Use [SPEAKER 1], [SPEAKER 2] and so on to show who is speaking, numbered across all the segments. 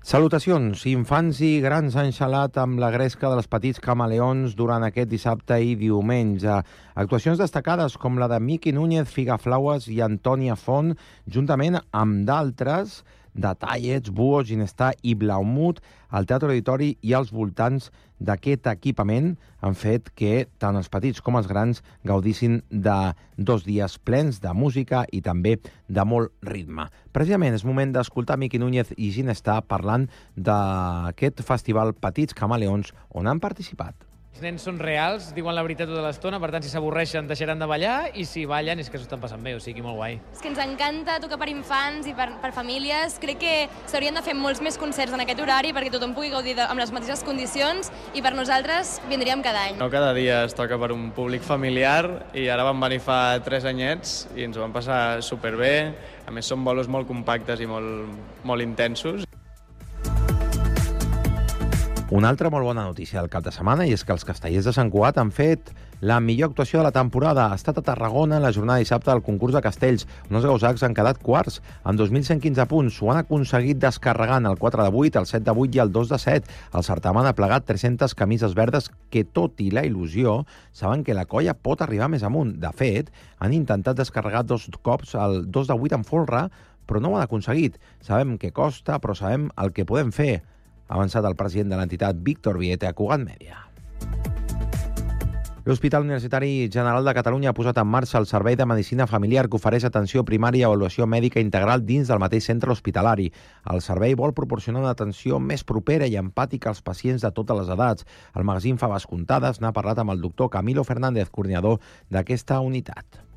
[SPEAKER 1] Salutacions. Infants i grans han xalat amb la gresca dels petits camaleons durant aquest dissabte i diumenge. Actuacions destacades com la de Miqui Núñez, Figaflaues i Antònia Font, juntament amb d'altres de Tallets, Buo, Ginestar i Blaumut, al Teatre Auditori i als voltants d'aquest equipament han fet que tant els petits com els grans gaudissin de 2 dies plens de música i també de molt ritme. Precisament és moment d'escoltar Miqui Núñez i Ginestar parlant d'aquest festival Petits Camaleons on han participat.
[SPEAKER 2] Els nens són reals, diuen la veritat tota l'estona, per tant, si s'avorreixen deixaran de ballar i si ballen és que s'ho estan passant bé, o sigui, molt guai.
[SPEAKER 3] És que ens encanta tocar per infants i per famílies. Crec que s'haurien de fer molts més concerts en aquest horari perquè tothom pugui gaudir amb les mateixes condicions i per nosaltres vindríem cada any.
[SPEAKER 4] No cada dia es toca per un públic familiar i ara vam venir fa 3 anyets i ens ho vam passar superbé. A més, són bolos molt compactes i molt intensos.
[SPEAKER 1] Una altra molt bona notícia del cap de setmana i és que els castellers de Sant Cugat han fet la millor actuació de la temporada. Ha estat a Tarragona la jornada de dissabte del concurs de castells, on els gausacs han quedat quarts, amb 2.115 punts. Ho han aconseguit descarregant el 4 de 8, el 7 de 8 i el 2 de 7. El certamen ha plegat 300 camises verdes que, tot i la il·lusió, saben que la colla pot arribar més amunt. De fet, han intentat descarregar 2 cops el 2 de 8 en folre, però no ho han aconseguit. Sabem que costa, però sabem el que podem fer, ha avançat el president de l'entitat, Víctor Viete, a Cugat Mèdia. L'Hospital Universitari General de Catalunya ha posat en marxa el Servei de Medicina Familiar que ofereix atenció primària i avaluació mèdica integral dins del mateix centre hospitalari. El servei vol proporcionar una atenció més propera i empàtica als pacients de totes les edats. El magazín Faves Comptades n'ha parlat amb el doctor Camilo Fernández, coordinador d'aquesta unitat.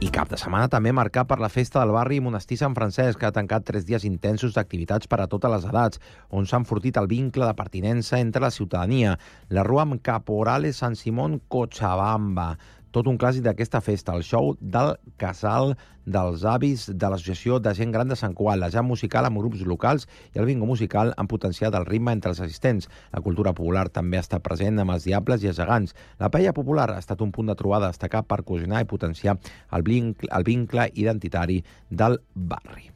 [SPEAKER 1] I cap de setmana també marcat per la festa del barri Monestir Sant Francesc, que ha tancat 3 dies intensos d'activitats per a totes les edats, on s'ha enfortit el vincle de pertinença entre la ciutadania. La rua amb Caporales Sant Simón Cochabamba. Tot un clàssic d'aquesta festa, el show del Casal dels Avis de l'Associació de Gent Gran de Sant Cugat, la jam musical amb grups locals i el bingo musical han potenciat el ritme entre els assistents. La cultura popular també ha estat present amb els diables i els gegants. La paella popular ha estat un punt de trobada destacat per cohesionar i potenciar el vincle identitari del barri.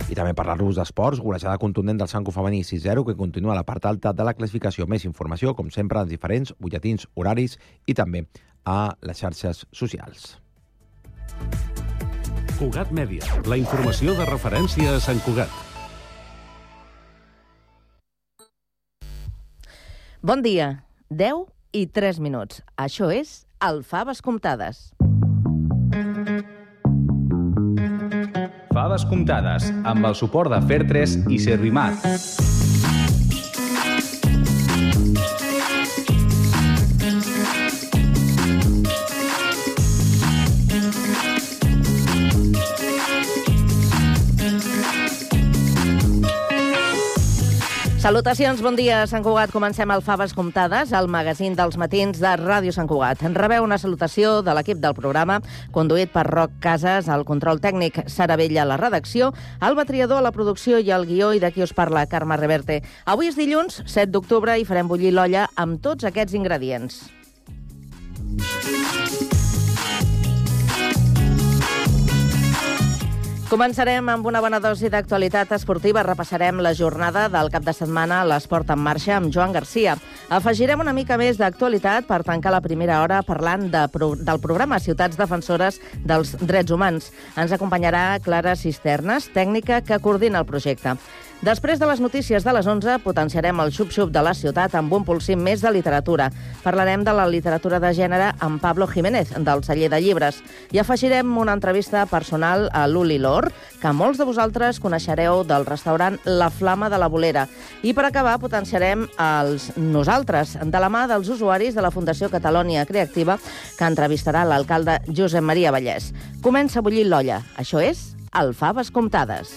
[SPEAKER 1] I també parlar-vos d'esports, golejada contundent del Sanco femení 6-0, que continua a la part alta de la classificació. Més informació, com sempre, en diferents butlletins horaris i també a les xarxes socials.
[SPEAKER 5] Cugat Mèdia, la informació de referència a Sant Cugat.
[SPEAKER 6] Bon dia, 10 i 3 minuts. Això és el Faves Comptades.
[SPEAKER 7] Faves Comptades, amb el suport de Fer3 i Servimat.
[SPEAKER 6] Salutacions, bon dia, Sant Cugat. Comencem el Faves Comptades, el magazín dels matins de Ràdio Sant Cugat. En rebeu una salutació de l'equip del programa, conduït per Roc Casas, el control tècnic, Sara Vella a la redacció, Alba Triador a la producció i el guió, i d'aquí us parla Carme Reverte. Avui és dilluns, 7 d'octubre, i farem bullir l'olla amb tots aquests ingredients. Començarem amb una bona dosi d'actualitat esportiva. Repassarem la jornada del cap de setmana a l'Esport en Marxa amb Joan Garcia. Afegirem una mica més d'actualitat per tancar la primera hora parlant del programa Ciutats Defensores dels Drets Humans. Ens acompanyarà Clara Cisternes, tècnica que coordina el projecte. Després de les notícies de les 11, potenciarem el xup-xup de la ciutat amb un polsim més de literatura. Parlarem de la literatura de gènere amb Pablo Jiménez, del Celler de Llibres. I afegirem una entrevista personal a l'Uli Lor, que molts de vosaltres coneixereu del restaurant La Flama de la Bolera. I per acabar, potenciarem els nosaltres, de la mà dels usuaris de la Fundació Catalònia Creativa, que entrevistarà l'alcalde Josep Maria Vallès. Comença a bullir l'olla. Això és el Faves Comptades.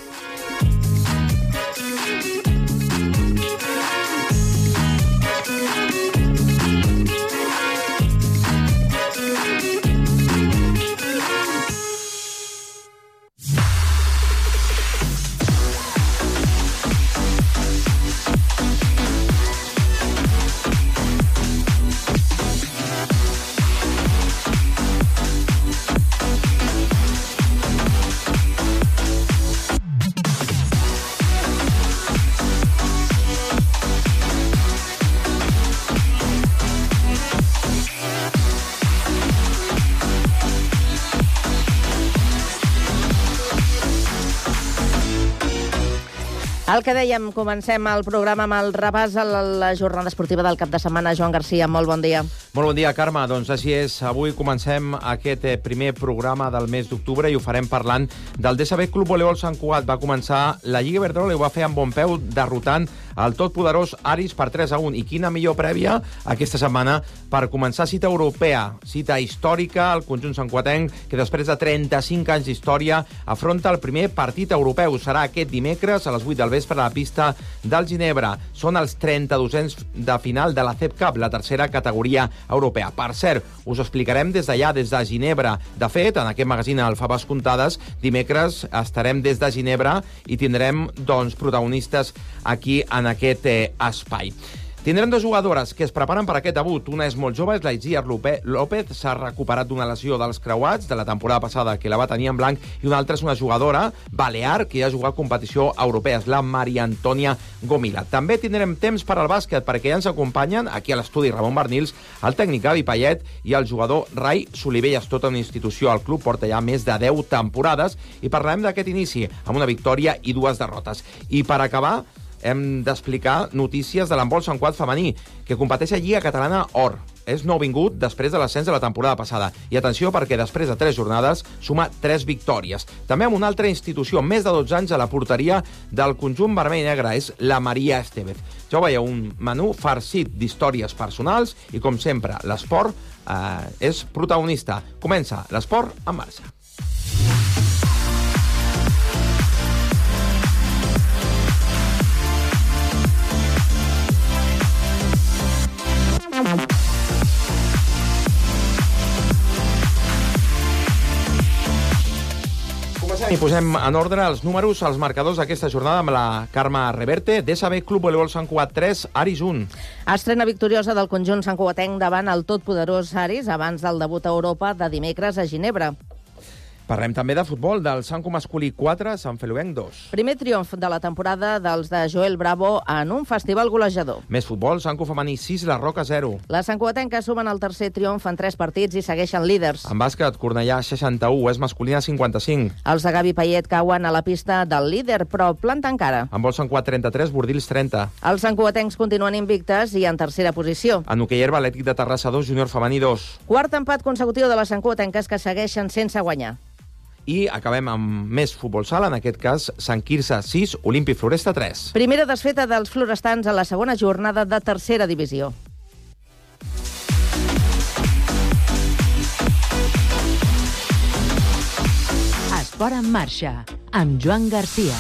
[SPEAKER 6] El que dèiem, comencem el programa amb el repàs a la jornada esportiva del cap de setmana. Joan Garcia, molt bon dia.
[SPEAKER 1] Molt bon dia, Carme. Doncs així és. Avui comencem aquest primer programa del mes d'octubre i ho farem parlant del DSB Club Voleibol Sant Cugat. Va començar la Lliga Iberdrola i ho va fer amb bon peu, derrotant el totpoderós Aris per 3-1. I quina millor prèvia aquesta setmana per començar cita europea, cita històrica, el conjunt santcuatenc, que després de 35 anys d'història afronta el primer partit europeu. Serà aquest dimecres a les 8 del vespre a la pista del Ginebra. Són els 32ens de final de la CEP Cup, la tercera categoria europea. Per cert, us explicarem des d'allà, des de Ginebra. De fet, en aquest magazín al Faves Comptades, dimecres estarem des de Ginebra i tindrem protagonistes aquí en aquest espai. Tindrem dues jugadores que es preparen per aquest debut. Una és molt jove, és la Itziar López, s'ha recuperat d'una lesió dels creuats de la temporada passada que la va tenir en blanc, i una altra és una jugadora balear que ja ha jugat competició europea, és la Maria Antònia Gomila. També tindrem temps per al bàsquet, perquè ja ens acompanyen aquí a l'estudi Ramon Barnils, el tècnic Gavi Payet i el jugador Rai Solivelles, tota una institució al club, porta ja més de 10 temporades, i parlarem d'aquest inici amb una victòria i 2 derrotes. I per acabar, hem d'explicar notícies de l'handbol Sant Cugat femení, que competeix a Lliga Catalana Or. És nouvingut després de l'ascens de la temporada passada. I atenció, perquè després de 3 jornades suma 3 victòries. També amb una altra institució, més de 12 anys a la porteria del conjunt vermell i negre, és la Maria Estevez. Ja ho veieu, un menú farcit d'històries personals i, com sempre, l'esport és protagonista. Comença l'esport en marxa. I posem en ordre els números, els marcadors d'aquesta jornada amb la Carme Reverte. DSB Club Voleibol Sant Cugat 3, Aris 1.
[SPEAKER 6] Estrena victoriosa del conjunt santcugatenc davant el totpoderós Aris abans del debut a Europa de dimecres a Ginebra.
[SPEAKER 1] Parlem també de futbol, del Sanco masculí 4, Sant Feluenc 2.
[SPEAKER 6] Primer triomf de la temporada dels de Joel Bravo en un festival golejador.
[SPEAKER 1] Més futbol, Sanco femení 6, La Roca 0.
[SPEAKER 6] Les santcugatenques sumen el tercer triomf en 3 partits i segueixen líders.
[SPEAKER 1] En bàsquet, Cornellà 61, és masculina 55.
[SPEAKER 6] Els de Gavi Payet cauen a la pista del líder, però planta encara.
[SPEAKER 1] En vol Sant Cugat 33, Bordils 30.
[SPEAKER 6] Els santcugatencs continuen invictes i en tercera posició.
[SPEAKER 1] En hoquei herba, Atlètic de Terrassa 2, Júnior femení 2.
[SPEAKER 6] Quart empat consecutiu de les santcugatenques que segueixen sense guanyar.
[SPEAKER 1] I acabem amb més futbol sala, en aquest cas Sant Quirze 6, Olímpic Floresta 3.
[SPEAKER 6] Primera desfeta dels florestans a la segona jornada de tercera divisió.
[SPEAKER 8] Esport en marxa, amb Joan Garcia.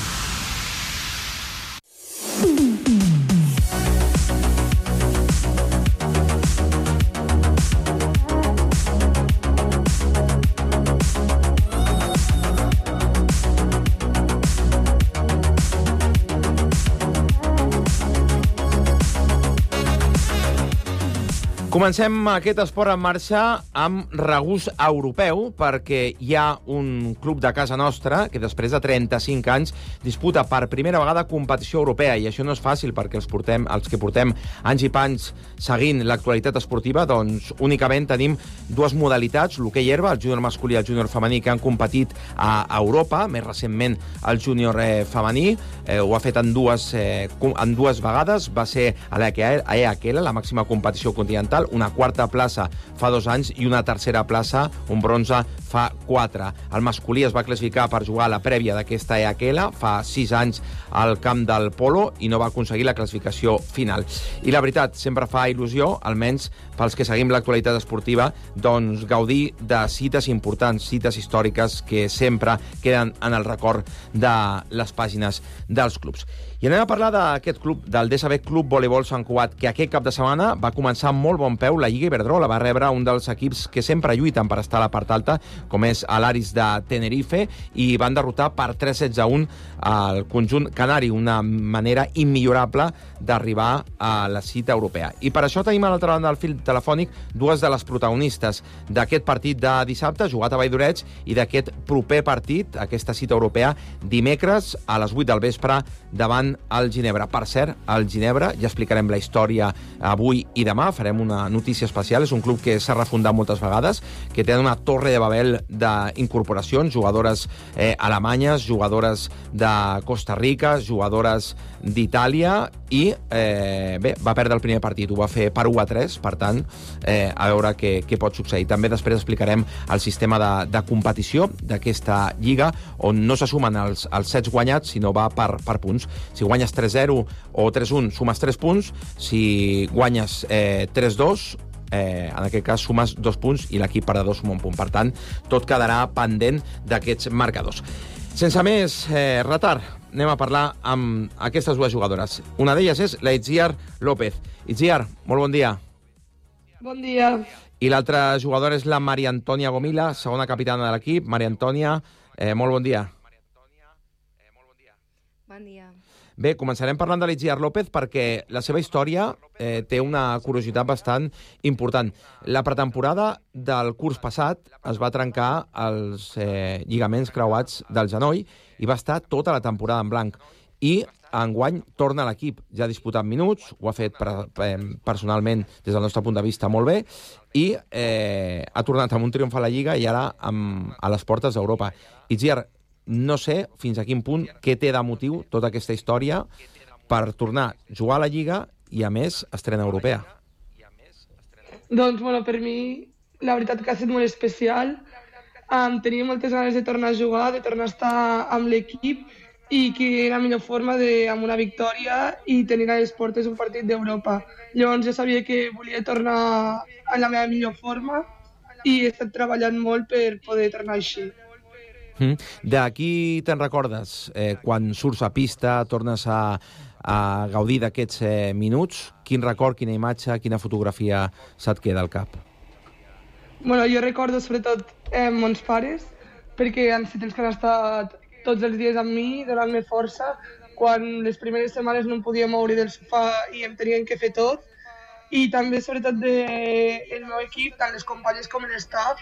[SPEAKER 1] Comencem aquest esport en marxa amb regust europeu, perquè hi ha un club de casa nostra que després de 35 anys disputa per primera vegada competició europea, i això no és fàcil perquè els que portem anys i panys seguint l'actualitat esportiva, doncs únicament tenim 2 modalitats, l'hoquei herba, el júnior masculí i el júnior femení, que han competit a Europa, més recentment el júnior femení, ho ha fet en dues vegades, va ser a l'EAKL, la màxima competició continental, una quarta plaça fa 2 anys i una tercera plaça, un bronze, fa 4. El masculí es va classificar per jugar a la prèvia d'aquesta EAKL fa 6 anys al camp del Polo i no va aconseguir la classificació final. I la veritat, sempre fa il·lusió, almenys pels que seguim l'actualitat esportiva, doncs gaudir de cites importants, cites històriques que sempre queden en el record de les pàgines dels clubs. I anem a parlar d'aquest club, del DSB Club Voleibol Sant Cugat, que aquest cap de setmana va començar amb molt bon peu la Lliga Iberdrola. Va rebre un dels equips que sempre lluiten per estar a la part alta, com és l'Aris de Tenerife, i van derrotar per 3-16-1 al conjunt canari, una manera immillorable d'arribar a la cita europea. I per això tenim a l'altra banda del fil telefònic 2 de les protagonistes d'aquest partit de dissabte, jugat a Valldoreig, i d'aquest proper partit, aquesta cita europea, dimecres a les 8 del vespre davant enfrontant al Ginebra. Per cert, al Ginebra ja explicarem la història avui i demà, farem una notícia especial. És un club que s'ha refundat moltes vegades, que té una torre de Babel d'incorporacions, jugadores alemanyes, jugadores de Costa Rica, jugadores d'Itàlia, i va perdre el primer partit, ho va fer per 1-3, per tant, a veure què pot succeir. També després explicarem el sistema de competició d'aquesta lliga, on no se sumen els sets guanyats, sinó va per punts. Si guanyes 3-0 o 3-1, sumes 3 punts. Si guanyes 3-2, en aquest cas sumes 2 punts i l'equip perdedor suma un punt. Per tant, tot quedarà pendent d'aquests marcadors. Sense més retard, anem a parlar amb aquestes dues jugadores. Una d'elles és la Itziar López. Itziar, molt bon dia.
[SPEAKER 9] Bon dia.
[SPEAKER 1] I l'altra jugadora és la Maria Antònia Gomila, segona capitana de l'equip. Maria Antònia, molt bon dia.
[SPEAKER 9] Bon dia.
[SPEAKER 1] Bé, començarem parlant de l'Itziar López perquè la seva història té una curiositat bastant important. La pretemporada del curs passat es va trencar els lligaments creuats del genoll i va estar tota la temporada en blanc. I enguany torna a l'equip. Ja ha disputat minuts, ho ha fet personalment des del nostre punt de vista molt bé, i ha tornat amb un triomf a la Lliga i ara a les portes d'Europa. Itziar, no sé fins a quin punt, què té de motiu tota aquesta història per tornar a jugar a la Lliga i, a més, estrena europea.
[SPEAKER 9] Doncs, per mi, la veritat que ha estat molt especial. Tenia moltes ganes de tornar a jugar, de tornar a estar amb l'equip, i que era la millor forma amb una victòria i tenir a les portes un partit d'Europa. Llavors jo sabia que volia tornar a la meva millor forma i he estat treballant molt per poder tornar així.
[SPEAKER 1] De qui te'n recordes? Quan surts a pista, tornes a gaudir d'aquests minuts, quin record, quina imatge, quina fotografia se't queda al cap?
[SPEAKER 9] Jo recordo sobretot mons pares, perquè han estat els que han estat tots els dies amb mi, donant-me força. Quan les primeres setmanes no em podia moure del sofà i em tenien que fer tot. I també sobretot del meu equip, tant les companyes com l'estaf,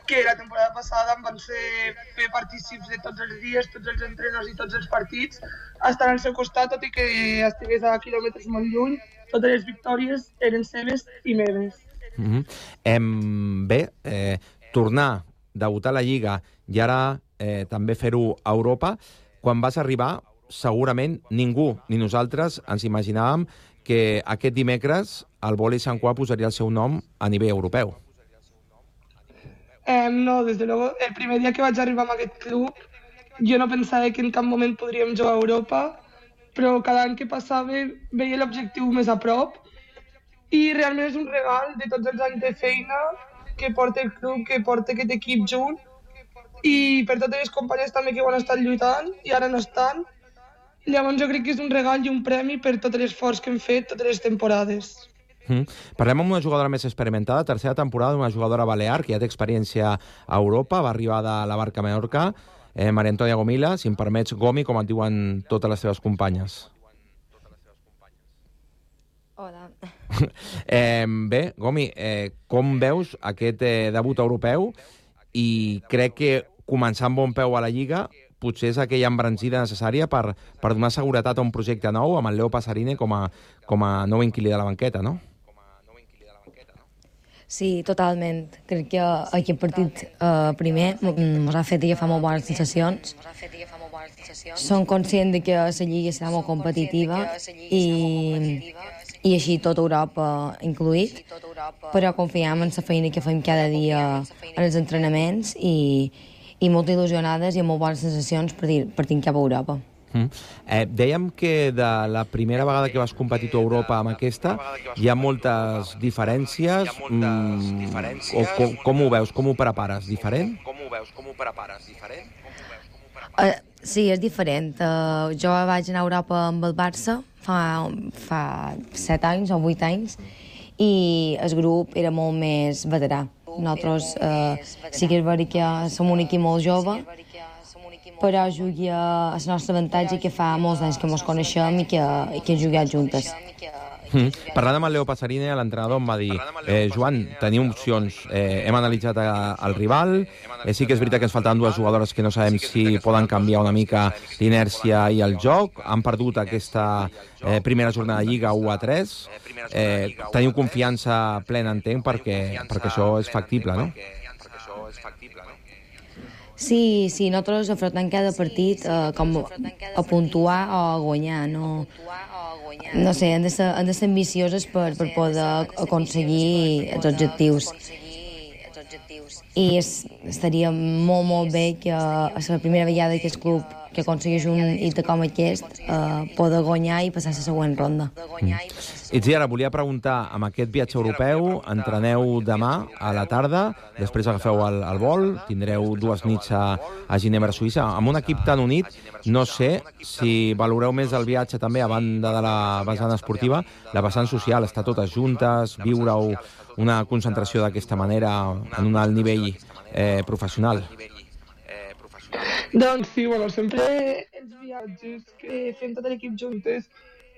[SPEAKER 9] que la temporada passada em van fer partícips de tots els dies, tots els entrenos i tots els partits, estant al seu costat, tot i que estigués a quilòmetres molt lluny. Totes les victòries eren seves i meves.
[SPEAKER 1] Bé, tornar, debutar a la Lliga i ara també fer-ho a Europa, quan vas arribar, segurament ningú, ni nosaltres, ens imaginàvem que aquest dimecres el vòlei Sant Cugat posaria el seu nom a nivell europeu.
[SPEAKER 9] No, des de luego, el primer dia que vaig arribar a aquest club jo no pensava que en cap moment podríem jugar a Europa, però cada any que passava veia l'objectiu més a prop i realment és un regal de tots els anys de feina que porta el club, que porta aquest equip junt, i per totes les companyes també que ho han estat lluitant i ara no estan. Llavors jo crec que és un regal i un premi per tot l'esforç que hem fet totes les temporades.
[SPEAKER 1] Parlem amb una jugadora més experimentada, tercera temporada, una jugadora balear que ja té experiència a Europa, va arribar de la Barca Menorca, Maria Antònia Gomila, si em permets, Gomi, com et diuen totes les teves companyes.
[SPEAKER 10] Hola.
[SPEAKER 1] Bé, Gomi, com veus aquest debut europeu? I crec que començar amb bon peu a la Lliga potser és aquella embranzida necessària per donar seguretat a un projecte nou amb el Leo Pasarine com a nou inquilí de la banqueta, no?
[SPEAKER 10] Sí, totalment. Crec que aquest partit primer ens ha fet agafar molt bones sensacions. Som conscients que la Lliga serà molt competitiva i així tot Europa incluït, però confiem en la feina que fem cada dia en els entrenaments i molt il·lusionades i amb molt bones sensacions partint cap a Europa.
[SPEAKER 1] Dèiem que de la primera vegada que vas competir a Europa amb aquesta hi ha moltes diferències. Com ho veus? Com ho prepares? Diferent?
[SPEAKER 10] Sí, és diferent. Jo vaig anar a Europa amb el Barça fa 7 anys o 8 anys i el grup era molt més veterà. Nosaltres sí que és veritat que som un equip molt jove, però jugui a el nostre avantatge que fa molts anys que ens coneixem i que hem jugat juntes.
[SPEAKER 1] Parlant amb el Leo Passarini, l'entrenador em va dir Joan, tenim opcions, hem analitzat el rival, sí que és veritat que ens faltaven dues jugadores que no sabem si poden canviar una mica l'inèrcia i el joc, han perdut aquesta primera jornada de Lliga 1-3, teniu confiança plena, entenc, perquè això és factible, no?
[SPEAKER 10] Sí, nosaltres afrontem cada partit com a puntuar o a guanyar, no sé, hem de ser ambicioses per poder aconseguir els objectius. I estaria molt bé que a la primera vegada que el club que aconsegueix un hit com aquest poder guanyar i passar a la següent ronda.
[SPEAKER 1] Itziar, volia preguntar, amb aquest viatge europeu, entreneu demà a la tarda, després agafeu el vol, tindreu 2 nits a Ginebra, Suïssa. Amb un equip tan unit, no sé si valoreu més el viatge també, a banda de la vessant esportiva, la vessant social, estar totes juntes, viure-ho una concentració d'aquesta manera en un alt nivell professional.
[SPEAKER 9] Doncs sí, sempre els viatges que fem tot l'equip juntes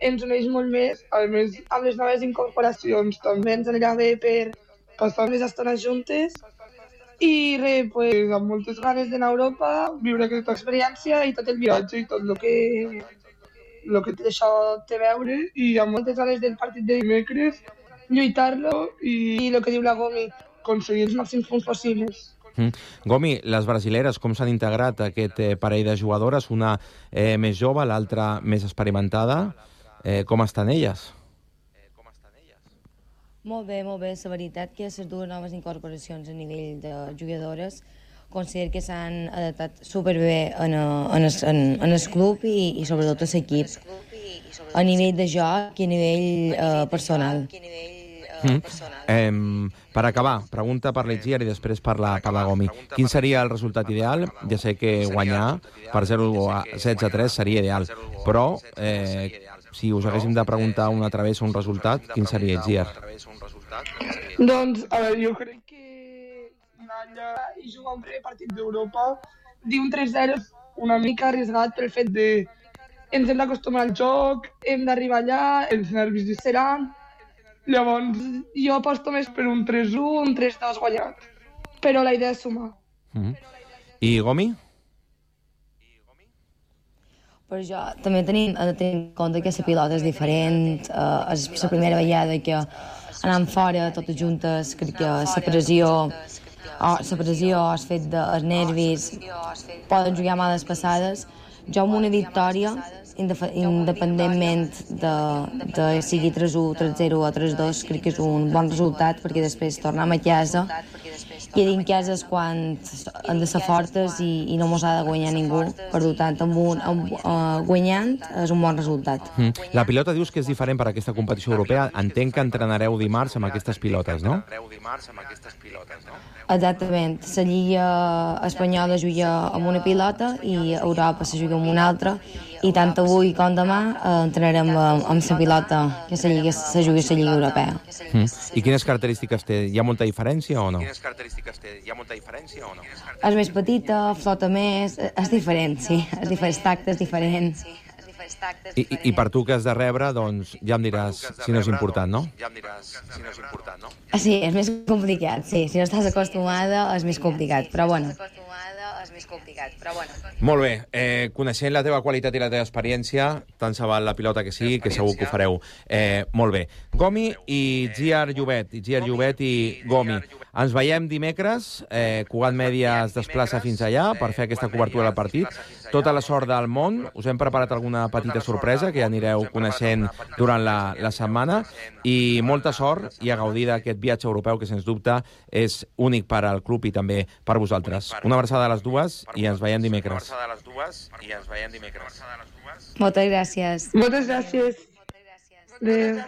[SPEAKER 9] ens uneix molt més, a més amb les noves incorporacions també ens anirà bé per passar més estones juntes i pues, amb moltes ganes d'anar a Europa, viure aquesta experiència i tot el viatge i tot el que això té a veure i amb moltes ganes del partit de dimecres, lluitar-lo i el que diu la Gomi, aconseguir els màxims punts possibles.
[SPEAKER 1] Gomi, les brasileres, com s'han integrat aquest parell de jugadores? Una més jove, l'altra més experimentada. Com estan elles?
[SPEAKER 10] Molt bé. La veritat que les dues noves incorporacions a nivell de jugadores considero que s'han adaptat superbé en el club i sobretot a l'equip. A nivell de joc i a nivell personal.
[SPEAKER 1] Per acabar, pregunta per l'Itziar i després per la Gomi. Quin seria el resultat ideal? Ja sé que guanyar per 0-16-3 seria ideal, però si us haguéssim de preguntar una altra vegada un resultat, quin seria, Itziar?
[SPEAKER 9] Doncs, a veure, jo crec que anar allà i jugar un primer partit d'Europa, dir un 3-0 una mica arriesgat pel fet de ens hem d'acostumar al joc, hem d'arribar allà, els nervis hi seran. Llavors, jo aposto més per un 3-1, un 3-2 guanyat. Però la idea és sumar.
[SPEAKER 1] I Gomi?
[SPEAKER 10] Però jo també tenim en compte que la pilota és diferent. És la primera vegada que anant fora totes juntes, crec que la pressió, el fet dels nervis, poden jugar males passades. Jo amb una victòria, independentment de sigui 3-1, 3-0 o 3-2, crec que és un bon resultat, perquè després tornem a casa i dins casa és quan han de ser fortes i no mos ha de guanyar ningú. Per tant, guanyant és un bon resultat.
[SPEAKER 1] La pilota dius que és diferent per a aquesta competició europea. Entenc que entrenareu dimarts amb aquestes pilotes, no?
[SPEAKER 10] Exactament. La Lliga espanyola juga amb una pilota i Europa se juga amb una altra, i tant avui com demà entrenarem amb la pilota que se juga a la Lliga Europea.
[SPEAKER 1] I quines característiques té? Hi ha molta diferència o no?
[SPEAKER 10] És més petita, flota més, és diferent, sí. És diferent, el tacte és diferent.
[SPEAKER 1] I per tu que has de rebre, doncs ja em diràs si no és important, no?
[SPEAKER 10] Sí, és més complicat, sí. Si no estàs acostumada és més complicat, però bueno.
[SPEAKER 1] Molt bé, coneixent la teva qualitat i la teva experiència, tant se val la pilota que sigui, que segur que ho fareu molt bé. Gomi i Itziar Llobet i Gomi. Ens veiem dimecres, Cugat Mèdia es desplaça fins allà per fer aquesta cobertura del partit. Tota la sort del món, us hem preparat alguna petita sorpresa que ja anireu coneixent durant la setmana, i molta sort i a gaudir d'aquest viatge europeu que sens dubte és únic per al club i també per vosaltres. Una abraçada a les dues i ens veiem dimecres.
[SPEAKER 10] Moltes gràcies.
[SPEAKER 9] Moltes gràcies. Adéu.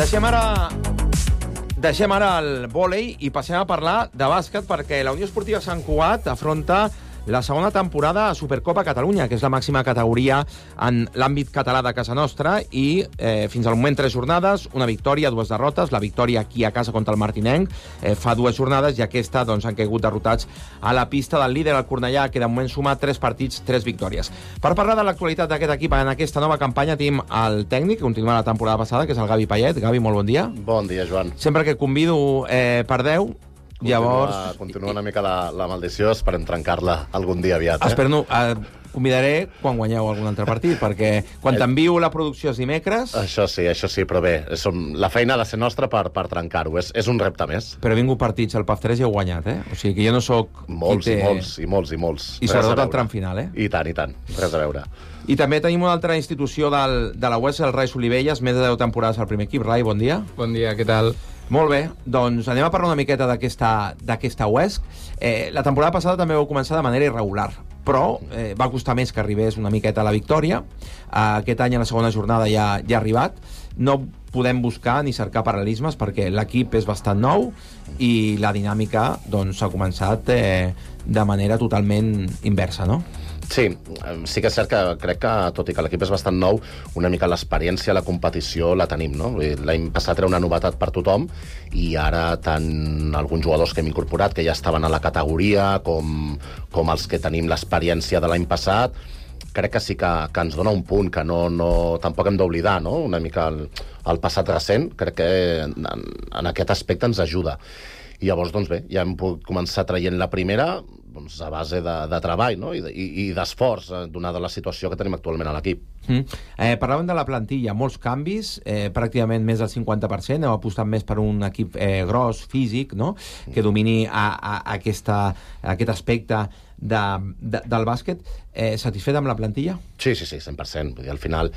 [SPEAKER 1] Deixem ara el vòlei i passem a parlar de bàsquet, perquè la Unió Esportiva Sant Cugat afronta la segona temporada a Supercopa Catalunya, que és la màxima categoria en l'àmbit català de casa nostra, i fins al moment 3 jornades, una victòria, 2 derrotes. La victòria aquí a casa contra el Martinenc fa 2 jornades, i aquesta han caigut derrotats a la pista del líder, el Cornellà, que de moment suma 3 partits, 3 victòries. Per parlar de l'actualitat d'aquest equip en aquesta nova campanya, tenim el tècnic, que continua la temporada passada, que és el Gavi Payet. Gavi, molt bon dia.
[SPEAKER 11] Bon dia, Joan.
[SPEAKER 1] Sempre que et convido perdeu.
[SPEAKER 11] Continua una mica la maldició, esperem trencar-la algun dia aviat.
[SPEAKER 1] Espero convidaré quan guanyeu algun altre partit, perquè quan t'envio la producció és dimecres...
[SPEAKER 11] Això sí, però bé, la feina ha de ser nostra per trencar-ho, és un repte més.
[SPEAKER 1] Però he vingut partits al PAF 3 i heu guanyat, O sigui que jo no sóc...
[SPEAKER 11] Molts. I
[SPEAKER 1] sobretot al tram final,
[SPEAKER 11] I tant, res a veure.
[SPEAKER 1] I també tenim una altra institució de la UES, el Rai Solivelles, més de 10 temporades al primer equip. Rai, bon dia.
[SPEAKER 12] Bon dia, què tal?
[SPEAKER 1] Molt bé, doncs anem a parlar una miqueta d'aquesta UESC. La temporada passada també vau començar de manera irregular, però va costar més que arribés una miqueta a la victòria. Aquest any, a la segona jornada, ja ha arribat. No podem buscar ni cercar paral·lelismes, perquè l'equip és bastant nou i la dinàmica s'ha començat de manera totalment inversa, no?
[SPEAKER 11] Sí que és cert que crec que, tot i que l'equip és bastant nou, una mica l'experiència, la competició la tenim, no? L'any passat era una novetat per tothom, i ara tant alguns jugadors que hem incorporat, que ja estaven a la categoria, com els que tenim l'experiència de l'any passat, crec que sí que ens dona un punt que tampoc hem d'oblidar, no? Una mica el passat recent, crec que en aquest aspecte ens ajuda. I llavors, doncs bé, ja hem pogut començar traient la primera, a base de treball, no? I d'esforç, donada la situació que tenim actualment a l'equip.
[SPEAKER 1] Parlàvem de la plantilla, molts canvis, pràcticament més del 50%, heu apostat més per un equip gros, físic, no? Que domini aquest aspecte del bàsquet. Satisfet amb la plantilla?
[SPEAKER 11] Sí, 100%. Vull dir, al final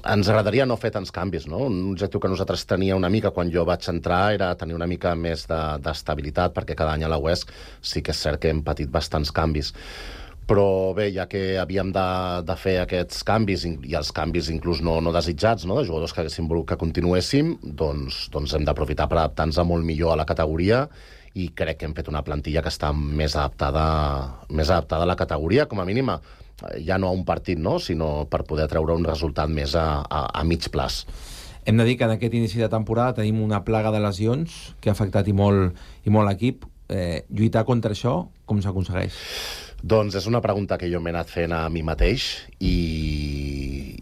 [SPEAKER 11] ens agradaria no fer tants canvis, no? Un objectiu que nosaltres tenia una mica quan jo vaig entrar era tenir una mica més d'estabilitat, perquè cada any a la UESC sí que és cert que hem patit bastants canvis. Però bé, ja que havíem de fer aquests canvis, i els canvis inclús no desitjats, de jugadors que haguéssim volut que continuéssim, doncs hem d'aprofitar per adaptar-nos molt millor a la categoria, i crec que hem fet una plantilla que està més adaptada a la categoria, com a mínima, ja no a un partit, sinó per poder treure un resultat més a mig plaç.
[SPEAKER 1] Hem de dir que en aquest inici de temporada tenim una plaga de lesions que ha afectat i molt l'equip. Lluitar contra això, com s'aconsegueix?
[SPEAKER 11] Doncs és una pregunta que jo m'he anat fent a mi mateix, i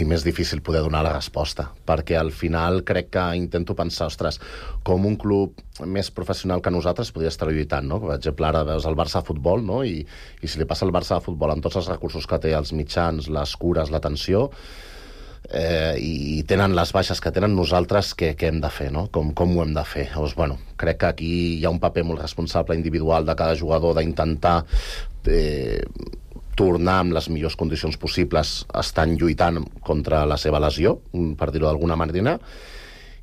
[SPEAKER 11] més difícil poder donar la resposta, perquè al final crec que intento pensar, ostres, com un club més professional que nosaltres podria estar lluitant, no? Per exemple, ara veus el Barça de futbol, no? I si li passa al Barça de futbol amb tots els recursos que té, els mitjans, les cures, l'atenció, i tenen les baixes que tenen, nosaltres què hem de fer, no? Com ho hem de fer? Llavors, crec que aquí hi ha un paper molt responsable individual de cada jugador d'intentar tornar amb les millors condicions possibles, estan lluitant contra la seva lesió, per dir-ho d'alguna manera,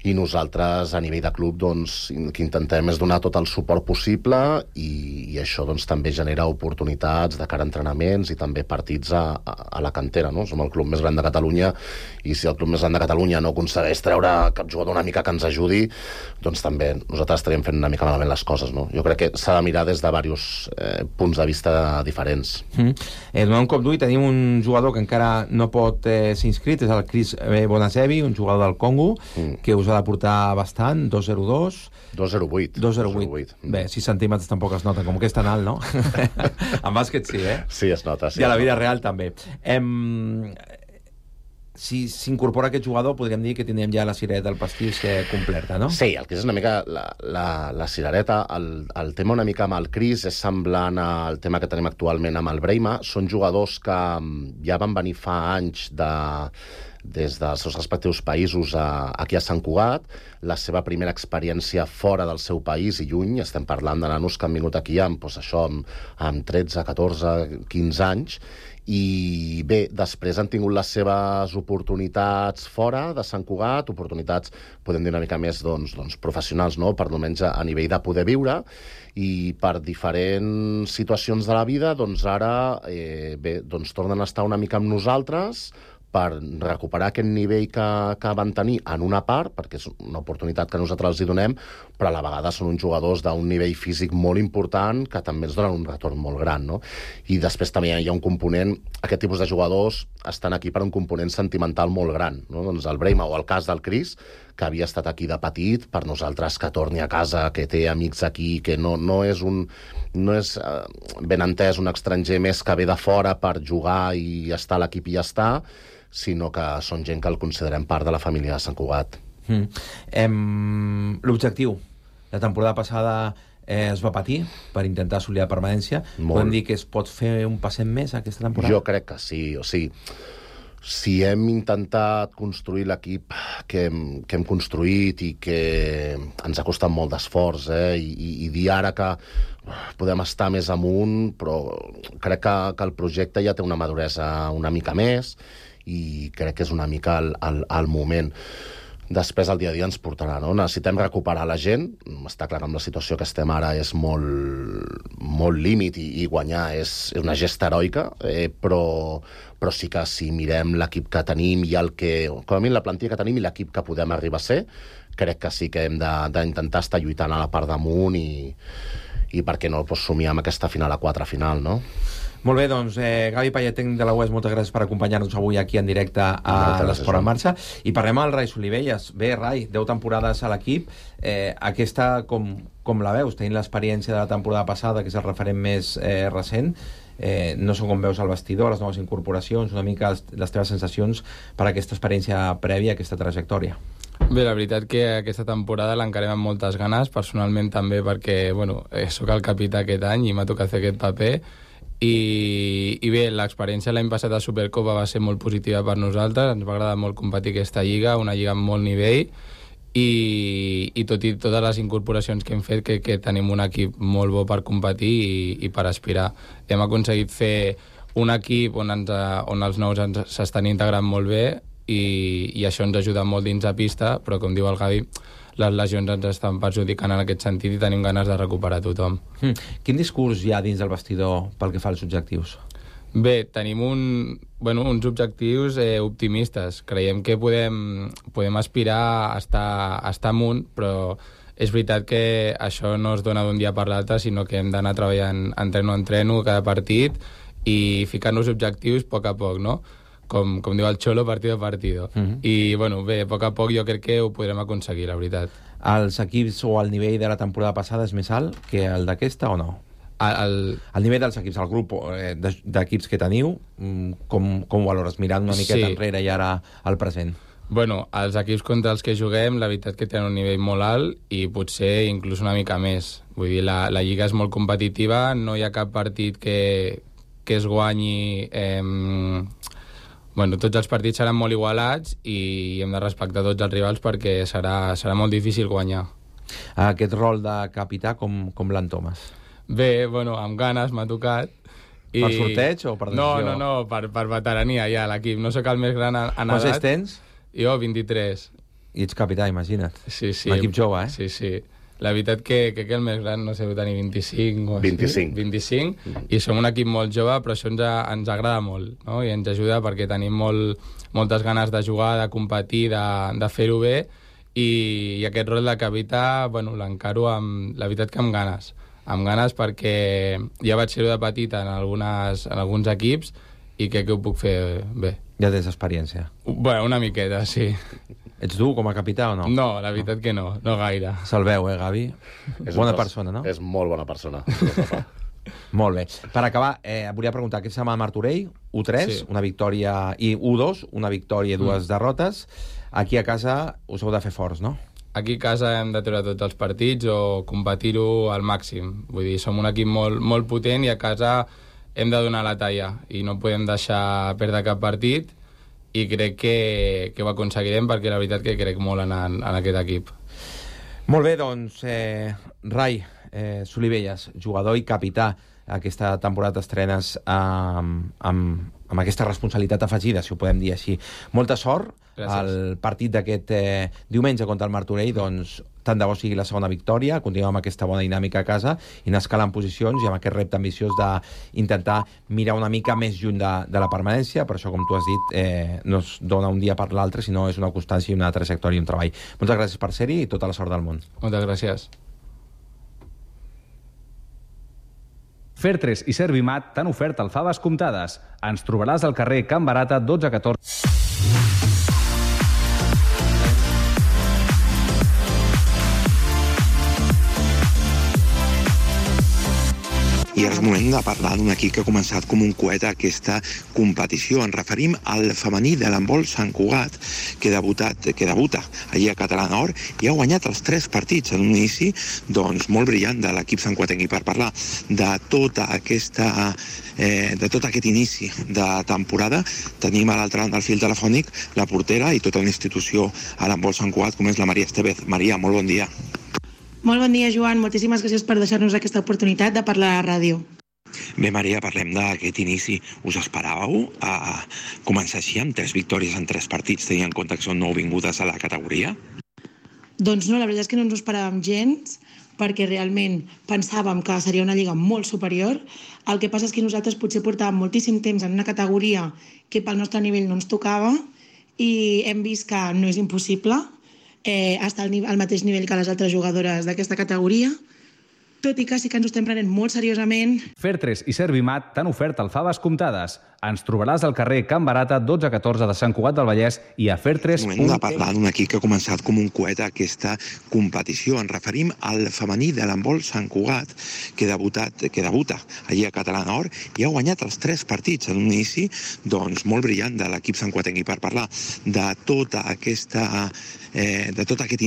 [SPEAKER 11] i nosaltres a nivell de club que intentem és donar tot el suport possible, i això també genera oportunitats de cara a entrenaments i també partits a la cantera, no? Som el club més gran de Catalunya, i si el club més gran de Catalunya no aconsegueix treure cap jugador una mica que ens ajudi, doncs també nosaltres estaríem fent una mica malament les coses, no? Jo crec que s'ha de mirar des de diversos punts de vista diferents.
[SPEAKER 1] Donant un cop d'ull, tenim un jugador que encara no pot ser inscrit, és el Chris Bonasevi, un jugador del Congo, que us ha de portar bastant, 2,02... 2,08. Bé, 6 centímetres tampoc es nota, com que és tan alt, no? En bàsquet sí,
[SPEAKER 11] Sí, es nota.
[SPEAKER 1] I a la vida real també. Si s'incorpora aquest jugador, podríem dir que tindrem ja la cirereta del pastís completa, no?
[SPEAKER 11] Sí, el Cris és una mica la cirereta. El tema una mica amb el Cris és semblant al tema que tenim actualment amb el Breima. Són jugadors que ja van venir fa anys des dels seus respectius països aquí a Sant Cugat, la seva primera experiència fora del seu país i lluny, estem parlant de nanos que han vingut aquí amb 13, 14, 15 anys, i bé, després han tingut les seves oportunitats fora de Sant Cugat, oportunitats, podem dir una mica més professionals, no? Per almenys a nivell de poder viure, i per diferents situacions de la vida, ara tornen a estar una mica amb nosaltres, per recuperar aquest nivell que van tenir en una part, perquè és una oportunitat que nosaltres els hi donem, però a la vegada són uns jugadors d'un nivell físic molt important que també ens donen un retorn molt gran, no? I després també hi ha un component, aquest tipus de jugadors estan aquí per un component sentimental molt gran, no? Doncs el Breima o el cas del Cris, que havia estat aquí de petit, per nosaltres que torni a casa, que té amics aquí, que no és ben entès un estranger més que ve de fora per jugar i estar a l'equip i ja està, sinó que són gent que el considerem part de la família de Sant Cugat.
[SPEAKER 1] L'objectiu. La temporada passada es va patir per intentar assolir la permanència. Podem dir que es pot fer un passet més aquesta temporada?
[SPEAKER 11] Jo crec que sí. O sigui, si hem intentat construir l'equip que hem construït i que ens ha costat molt d'esforç, i dir ara que podem estar més amunt, però crec que el projecte ja té una maduresa una mica més i crec que és una mica el moment. Després el dia a dia ens portarà, no? Necessitem recuperar la gent. Està clar que amb la situació que estem ara és molt límit i guanyar és una gesta heroica, però sí que si mirem l'equip que tenim i com a mínim la plantilla que tenim i l'equip que podem arribar a ser, crec que sí que hem d'intentar estar lluitant a la part damunt i per què no somiar amb aquesta final a 4 final, no?
[SPEAKER 1] Molt bé, doncs, Gavi Payet, tècnic de la UES, moltes gràcies per acompanyar-nos avui aquí en directe a l'Esport en Marxa. I parlem amb el Rai Solivelles. Bé, Rai, 10 temporades a l'equip. Aquesta, com la veus? Tenint l'experiència de la temporada passada, que és el referent més recent, no sé com veus el vestidor, les noves incorporacions, una mica les teves sensacions per aquesta experiència prèvia, aquesta trajectòria.
[SPEAKER 12] Bé, la veritat que aquesta temporada l'encarem amb moltes ganes, personalment també perquè, sóc el capità aquest any i m'ha tocat fer aquest paper. I bé, l'experiència l'any passat a Supercopa va ser molt positiva per nosaltres, ens va agradar molt competir aquesta lliga, una lliga amb molt nivell, i tot i totes les incorporacions que hem fet, que tenim un equip molt bo per competir i per aspirar. Hem aconseguit fer un equip on els nous s'estan integrant molt bé i això ens ajuda molt dins de pista, però com diu el Gavi, les lesions ens estan perjudicant en aquest sentit i tenim ganes de recuperar tothom.
[SPEAKER 1] Quin discurs hi ha dins del vestidor pel que fa als objectius?
[SPEAKER 12] Bé, tenim uns objectius optimistes. Creiem que podem aspirar a estar amunt, però és veritat que això no es dona d'un dia per l'altre, sinó que hem d'anar treballant entreno a entreno cada partit i ficar-nos objectius a poc, no? Com diu el Xolo, partido a partido. I, bé, a poc jo crec que ho podrem aconseguir, la veritat.
[SPEAKER 1] Els equips o el nivell de la temporada passada és més alt que el d'aquesta o no? El nivell dels equips, el grup d'equips que teniu, com ho valores? Mirant una miqueta enrere i ara al present.
[SPEAKER 12] Els equips contra els que juguem, la veritat que tenen un nivell molt alt i potser inclús una mica més. Vull dir, la lliga és molt competitiva, no hi ha cap partit que es guanyi... tots els partits seran molt igualats i hem de respectar tots els rivals perquè serà molt difícil guanyar.
[SPEAKER 1] Aquest rol de capità, com l'entomes?
[SPEAKER 12] Bé, amb ganes m'ha tocat.
[SPEAKER 1] Per sorteig o per decisió?
[SPEAKER 12] No, per veterania ja a l'equip. No sóc el més gran en edat.
[SPEAKER 1] Quants tens?
[SPEAKER 12] Jo, 23.
[SPEAKER 1] I ets capità, imagina't.
[SPEAKER 12] Sí.
[SPEAKER 1] Un equip jove, eh?
[SPEAKER 12] Sí. La veritat que el més gran, no sé, deu tenir 25 o així. 25. I som un equip molt jove, però això ens agrada molt, no? I ens ajuda perquè tenim moltes ganes de jugar, de competir, de fer-ho bé, i aquest rol de capità, l'encaro la veritat que amb ganes. Amb ganes perquè ja vaig ser-ho de petit en alguns equips i crec que ho puc fer bé.
[SPEAKER 1] Ja tens experiència?
[SPEAKER 12] Una miqueta, sí.
[SPEAKER 1] Ets dur com a capità o no?
[SPEAKER 12] No, la veritat que no gaire.
[SPEAKER 1] Se'l veu, Gavi? Bona persona, no?
[SPEAKER 11] És molt bona persona.
[SPEAKER 1] Molt bé. Per acabar, volia preguntar, aquesta setmana Martorell, U3, una victòria, i U2, una victòria i 2 derrotes. Aquí a casa us heu de fer forts, no?
[SPEAKER 12] Aquí a casa hem de treure tots els partits o competir-ho al màxim. Vull dir, som un equip molt potent i a casa hem de donar la talla i no podem deixar perdre cap partit i crec que ho aconseguirem perquè la veritat que crec molt en aquest equip.
[SPEAKER 1] Molt bé, doncs, Rai, Solivelles, jugador i capità, aquesta temporada t'estrenes amb aquesta responsabilitat afegida, si ho podem dir així. Molta sort.
[SPEAKER 12] Gràcies.
[SPEAKER 1] El partit d'aquest diumenge contra el Martorell, doncs, tant de bo sigui la segona victòria, continuem amb aquesta bona dinàmica a casa i anar escalant posicions i amb aquest repte ambiciós d'intentar mirar una mica més lluny de la permanència. Per això, com tu has dit, no es dona un dia per l'altre, sinó és una constància i una trajectòria i un treball. Moltes gràcies per ser-hi i tota la sort del món.
[SPEAKER 12] Moltes gràcies.
[SPEAKER 7] Fertres i Servimat t'han ofert alfabes comptades. Ens trobaràs al carrer Can Barata 1214.
[SPEAKER 13] I ara és moment de parlar d'un equip que ha començat com un coet a aquesta competició. Ens referim al femení de l'handbol Sant Cugat, que debuta allí a Català Nord i ha guanyat els 3 partits en un inici molt brillant de l'equip santcuatenc. I per parlar de tot aquest inici de temporada tenim a l'altre banda del fil telefònic la portera i tota una institució a l'handbol Sant Cugat, com és la Maria Estevez. Maria, molt bon dia.
[SPEAKER 14] Molt bon dia, Joan. Moltíssimes gràcies per deixar-nos aquesta oportunitat de parlar a la ràdio.
[SPEAKER 13] Bé, Maria, parlem d'aquest inici. Us esperàveu a començar així amb 3 victòries en 3 partits, tenint en compte que són nouvingudes a la categoria?
[SPEAKER 14] Doncs no, la veritat és que no ens ho esperàvem gens, perquè realment pensàvem que seria una lliga molt superior. El que passa és que nosaltres potser portàvem moltíssim temps en una categoria que pel nostre nivell no ens tocava i hem vist que no és impossible estar al mateix nivell que les altres jugadores d'aquesta categoria, tot i que sí que ens ho estem prenent molt seriosament.
[SPEAKER 7] Fertres i Servimat t'han ofert alfabes comptades. Ens trobaràs al carrer Can Barata 1214 de Sant Cugat del Vallès i a Fertres...
[SPEAKER 13] És moment de parlar d'un equip que ha començat com un coet a aquesta competició. Ens referim al femení de l'handbol Sant Cugat, que debuta allí a Català Nord i ha guanyat els 3 partits en un inici molt brillant de l'equip santcuatenc. I per parlar de tot aquest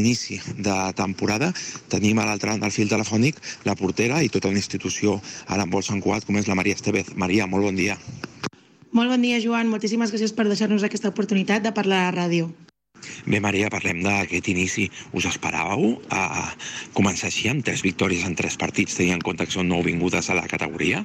[SPEAKER 13] inici de temporada tenim a l'altre banda del fil telefònic la portera i tota una institució a l'handbol Sant Cugat, com és la Maria Estevez. Maria, molt bon dia.
[SPEAKER 14] Molt bon dia, Joan. Moltíssimes gràcies per deixar-nos aquesta oportunitat de parlar a la ràdio.
[SPEAKER 13] Bé, Maria, parlem d'aquest inici. Us esperàveu a començar així amb 3 victòries en 3 partits, tenint en compte que són nouvingudes a la categoria?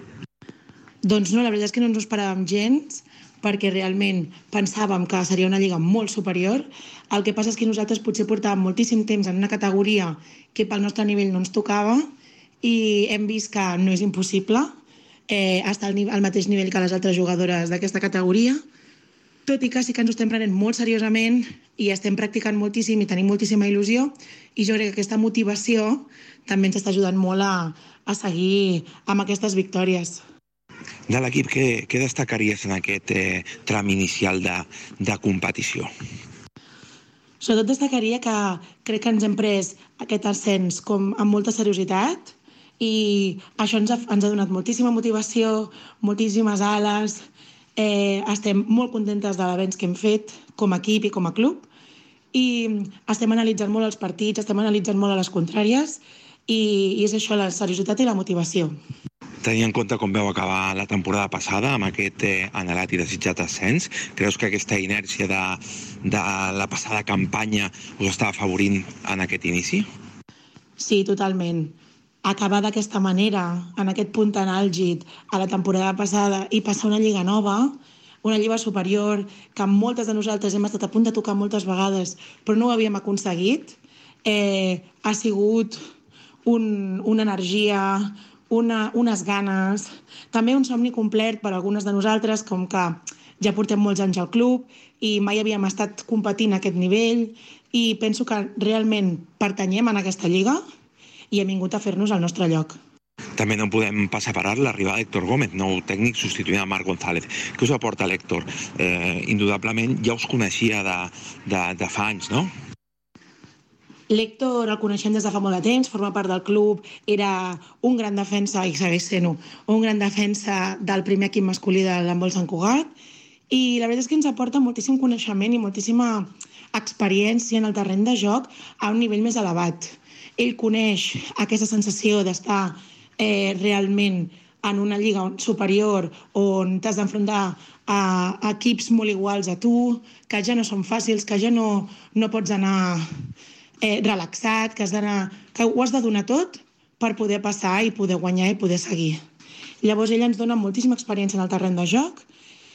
[SPEAKER 14] Doncs no, la veritat és que no ens ho esperàvem gens, perquè realment pensàvem que seria una lliga molt superior. El que passa és que nosaltres potser portàvem moltíssim temps en una categoria que pel nostre nivell no ens tocava i hem vist que no és impossible estar al mateix nivell que les altres jugadores d'aquesta categoria, tot i que sí que ens ho estem prenent molt seriosament i estem practicant moltíssim i tenim moltíssima il·lusió, i jo crec que aquesta motivació també ens està ajudant molt a seguir amb aquestes victòries.
[SPEAKER 13] De l'equip, què destacaries en aquest tram inicial de competició?
[SPEAKER 14] Sobretot destacaria que crec que ens hem pres aquest ascens amb molta seriositat i això ens ha donat moltíssima motivació, moltíssimes ales. Estem molt contentes de l'avenç que hem fet com a equip i com a club i estem analitzant molt els partits, estem analitzant molt a les contràries i és això, la seriositat i la motivació.
[SPEAKER 13] Tenint en compte com veu acabar la temporada passada amb aquest anhelat i desitjat ascens, creus que aquesta inèrcia de la passada campanya us està afavorint en aquest inici?
[SPEAKER 14] Sí, totalment. Acabar d'aquesta manera, en aquest punt tan àlgid a la temporada passada i passar una lliga nova, una lliga superior, que moltes de nosaltres hem estat a punt de tocar moltes vegades, però no ho havíem aconseguit, ha sigut una energia, unes ganes, també un somni complet per a algunes de nosaltres, com que ja portem molts anys al club i mai havíem estat competint a aquest nivell i penso que realment pertanyem en aquesta lliga i hem vingut a fer-nos el nostre lloc.
[SPEAKER 13] També no podem passar per alt l'arribada d'Héctor Gómez, nou tècnic substituint a Marc González. Què us aporta l'Héctor? Indudablement ja us coneixia de fa anys, no?
[SPEAKER 14] L'Héctor el coneixem des de fa molt de temps, forma part del club, era un gran defensa, i segueix sent-ho, un gran defensa del primer equip masculí de l'handbol Sant Cugat, i la veritat és que ens aporta moltíssim coneixement i moltíssima experiència en el terreny de joc a un nivell més elevat. Ell coneix aquesta sensació d'estar realment en una lliga superior on t'has d'enfrontar a equips molt iguals a tu, que ja no són fàcils, que ja no pots anar relaxat, que ho has de donar tot per poder passar i poder guanyar i poder seguir. Llavors ella ens dona moltíssima experiència en el terreny de joc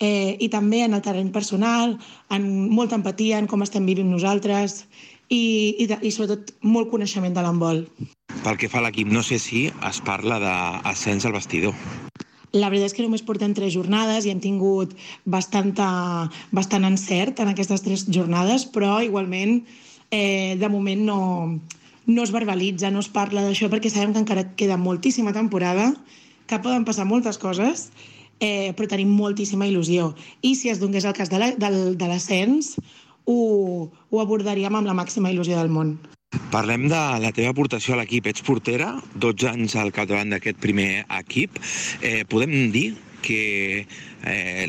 [SPEAKER 14] i també en el terreny personal, en molta empatia en com estem vivint nosaltres i sobretot molt coneixement de l'handbol.
[SPEAKER 13] Pel que fa a l'equip, no sé si es parla d'ascens al vestidor.
[SPEAKER 14] La veritat és que només portem 3 jornades i hem tingut bastant encert en aquestes 3 jornades, però igualment de moment no es verbalitza, no es parla d'això perquè sabem que encara queda moltíssima temporada, que poden passar moltes coses, però tenim moltíssima il·lusió. I si es donés el cas de l'ascens, ho abordaríem amb la màxima il·lusió del món.
[SPEAKER 13] Parlem de la teva aportació a l'equip. Ets portera, 12 anys al capdavant d'aquest primer equip. Podem dir que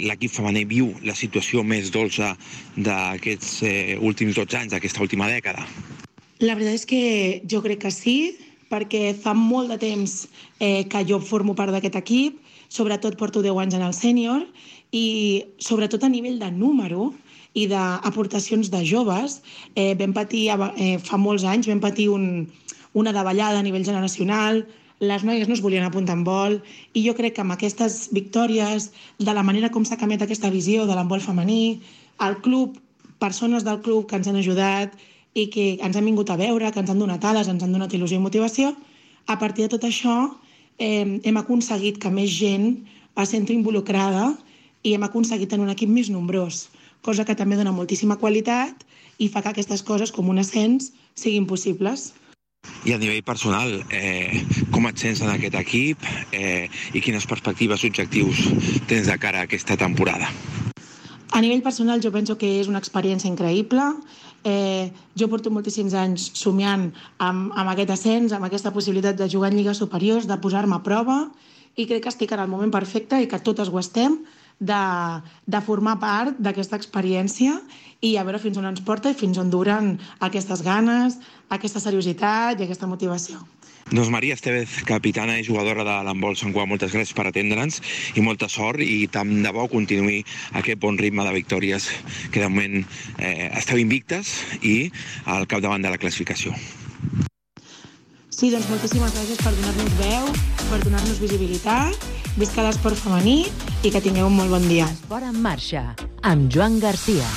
[SPEAKER 13] l'equip femení viu la situació més dolça d'aquests últims 12 anys, d'aquesta última dècada?
[SPEAKER 14] La veritat és que jo crec que sí, perquè fa molt de temps que jo formo part d'aquest equip, sobretot porto 10 anys en el sènior, i sobretot a nivell de número i d'aportacions de joves, vam patir, fa molts anys, vam patir una davallada a nivell generacional, les noies no es volien apuntar en vol, i jo crec que amb aquestes victòries, de la manera com s'ha canviat aquesta visió de l'handbol femení, el club, persones del club que ens han ajudat i que ens han vingut a veure, que ens han donat ales, ens han donat il·lusió i motivació, a partir de tot això hem aconseguit que més gent es senti involucrada i hem aconseguit tenir un equip més nombrós, cosa que també dona moltíssima qualitat i fa que aquestes coses com un ascens siguin possibles.
[SPEAKER 13] I a nivell personal, com et sents en aquest equip i quines perspectives, objectius tens de cara a aquesta temporada?
[SPEAKER 14] A nivell personal jo penso que és una experiència increïble. Jo porto moltíssims anys somiant amb aquest ascens, amb aquesta possibilitat de jugar en lligues superiors, de posar-me a prova, i crec que estic en el moment perfecte i que totes ho estem, de formar part d'aquesta experiència i a veure fins on ens porta i fins on duren aquestes ganes, aquesta seriositat i aquesta motivació.
[SPEAKER 13] Doncs Maria Estevez, capitana i jugadora de l'handbol Sant Cugat, moltes gràcies per atendre'ns i molta sort, i tant de bo continuï aquest bon ritme de victòries que de moment esteu invictes i al capdavant de la classificació.
[SPEAKER 14] Sí, doncs moltíssimes gràcies per donar-nos veu, per donar-nos visibilitat. Visca l'esport femení i que tingueu un molt bon dia.
[SPEAKER 8] Esport en marxa, amb Joan Garcia.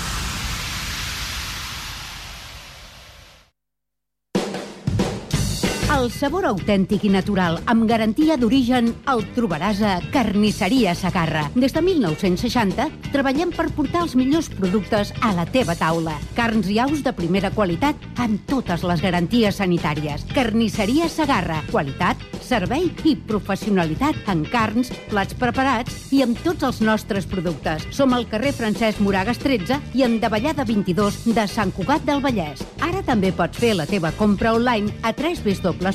[SPEAKER 8] El sabor autèntic i natural, amb garantia d'origen, el trobaràs a Carnisseria Segarra. Des de 1960 treballem per portar els millors productes a la teva taula. Carns i aus de primera qualitat amb totes les garanties sanitàries. Carnisseria Segarra. Qualitat, servei i professionalitat en carns, plats preparats i amb tots els nostres productes. Som al carrer Francesc Moragas 13 i en Davallada 22 de Sant Cugat del Vallès. Ara també pots fer la teva compra online a www.cesegarra.com.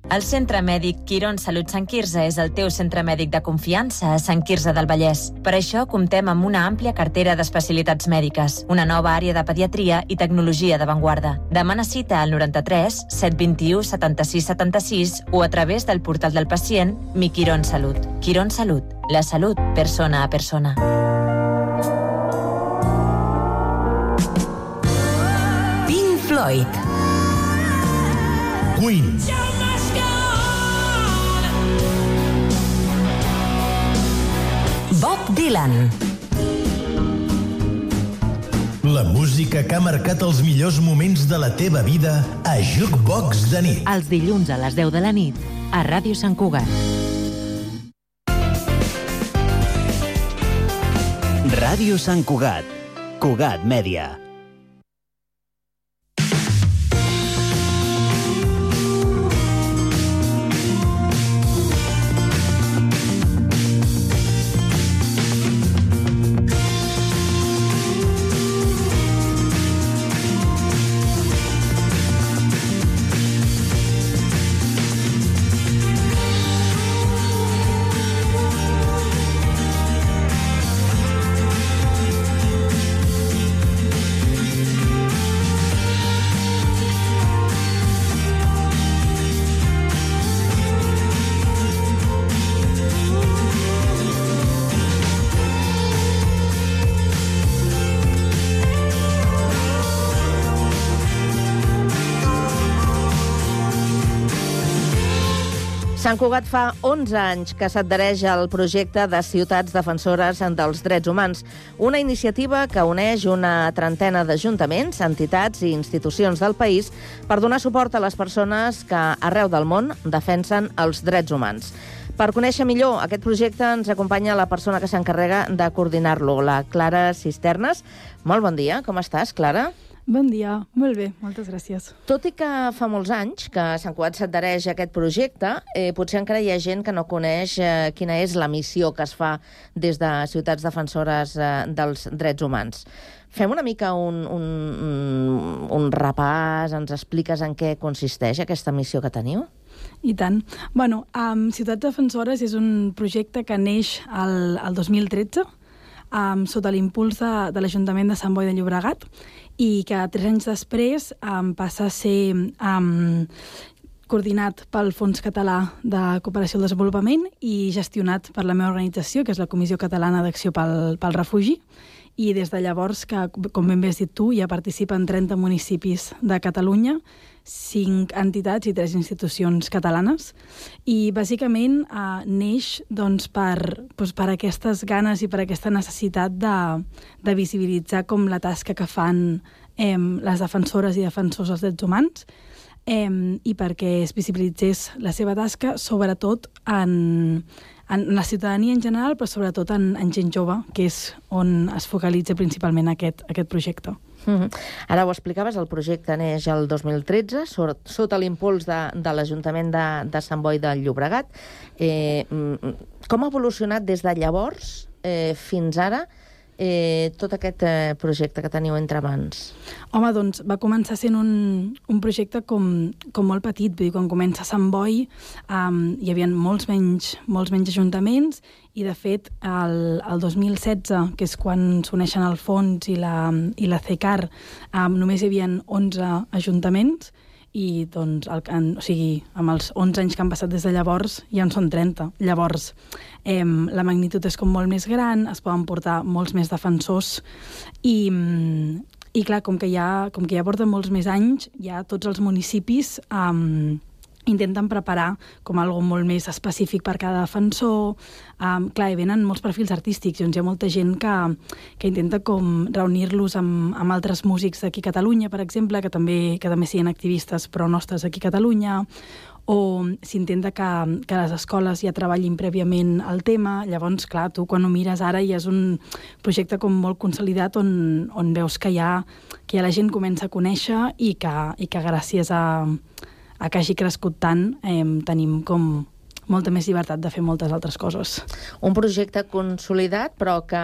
[SPEAKER 15] El Centre Mèdic Quirón Salut Sant Quirze és el teu centre mèdic de confiança a Sant Quirze del Vallès. Per això comptem amb una àmplia cartera d'especialitats mèdiques, una nova àrea de pediatria i tecnologia d'avantguarda. Demana cita al 93 721 76 76 o a través del portal del pacient Mi Quirón Salut. Quirón Salut, la salut persona a persona. Pink Floyd.
[SPEAKER 16] Queen.
[SPEAKER 15] Bob Dylan.
[SPEAKER 16] La música que ha marcat els millors moments de la teva vida a Jukebox de nit.
[SPEAKER 8] Els dilluns a les 10 de la nit a Ràdio Sant Cugat.
[SPEAKER 17] Ràdio Sant Cugat. Cugat Mèdia.
[SPEAKER 6] Sant Cugat fa 11 anys que s'adhereix al projecte de Ciutats Defensores dels Drets Humans, una iniciativa que uneix una trentena d'ajuntaments, entitats i institucions del país per donar suport a les persones que arreu del món defensen els drets humans. Per conèixer millor aquest projecte ens acompanya la persona que s'encarrega de coordinar-lo, la Clara Cisternes. Molt bon dia, com estàs, Clara?
[SPEAKER 18] Bon dia, molt bé, moltes gràcies.
[SPEAKER 6] Tot i que fa molts anys que Sant Cugat s'adhereix a aquest projecte, potser encara hi ha gent que no coneix quina és la missió que es fa des de Ciutats Defensores dels Drets Humans. Fem una mica un repàs, ens expliques en què consisteix aquesta missió que teniu?
[SPEAKER 18] I tant. Bueno, Ciutats Defensores és un projecte que neix el 2013 sota l'impuls de l'Ajuntament de Sant Boi de Llobregat i que 3 anys després passa a ser coordinat pel Fons Català de Cooperació al Desenvolupament i gestionat per la meva organització, que és la Comissió Catalana d'Acció pel Refugi. I des de llavors, que, com ben bé has dit tu, ja participen 30 municipis de Catalunya, 5 entitats i 3 institucions catalanes. I, bàsicament, neix doncs, per aquestes ganes i per aquesta necessitat de visibilitzar com la tasca que fan les defensores i defensors dels drets humans i perquè es visibilitzés la seva tasca, sobretot en la ciutadania en general, però sobretot en gent jove, que és on es focalitza principalment aquest projecte.
[SPEAKER 6] Ara ho explicaves, el projecte neix el 2013, sota l'impuls de l'Ajuntament de Sant Boi de Llobregat. Com ha evolucionat des de llavors fins ara tot aquest projecte que teniu entre mans?
[SPEAKER 18] Home, doncs va començar sent un projecte com molt petit. Vull dir, quan comença Sant Boi hi havia molts menys ajuntaments i, de fet, el 2016, que és quan s'uneixen el Fons i la CECAR, només hi havia 11 ajuntaments i, doncs, amb els 11 anys que han passat des de llavors ja en són 30. Llavors, la magnitud és com molt més gran, es poden portar molts més defensors i clar, com que ja porten molts més anys, ja tots els municipis intenten preparar com algo molt més específic per cada defensor. Clar, hi venen molts perfils artístics, doncs hi ha molta gent que intenta com reunir-los amb altres músics d'aquí a Catalunya, per exemple, que també siguin activistes però nostres aquí a Catalunya, o s'intenta que les escoles ja treballin prèviament el tema. Llavors, clar, tu quan ho mires ara ja és un projecte com molt consolidat on veus que ja la gent comença a conèixer i que gràcies a que hagi crescut tant, tenim com molta més llibertat de fer moltes altres coses.
[SPEAKER 6] Un projecte consolidat, però que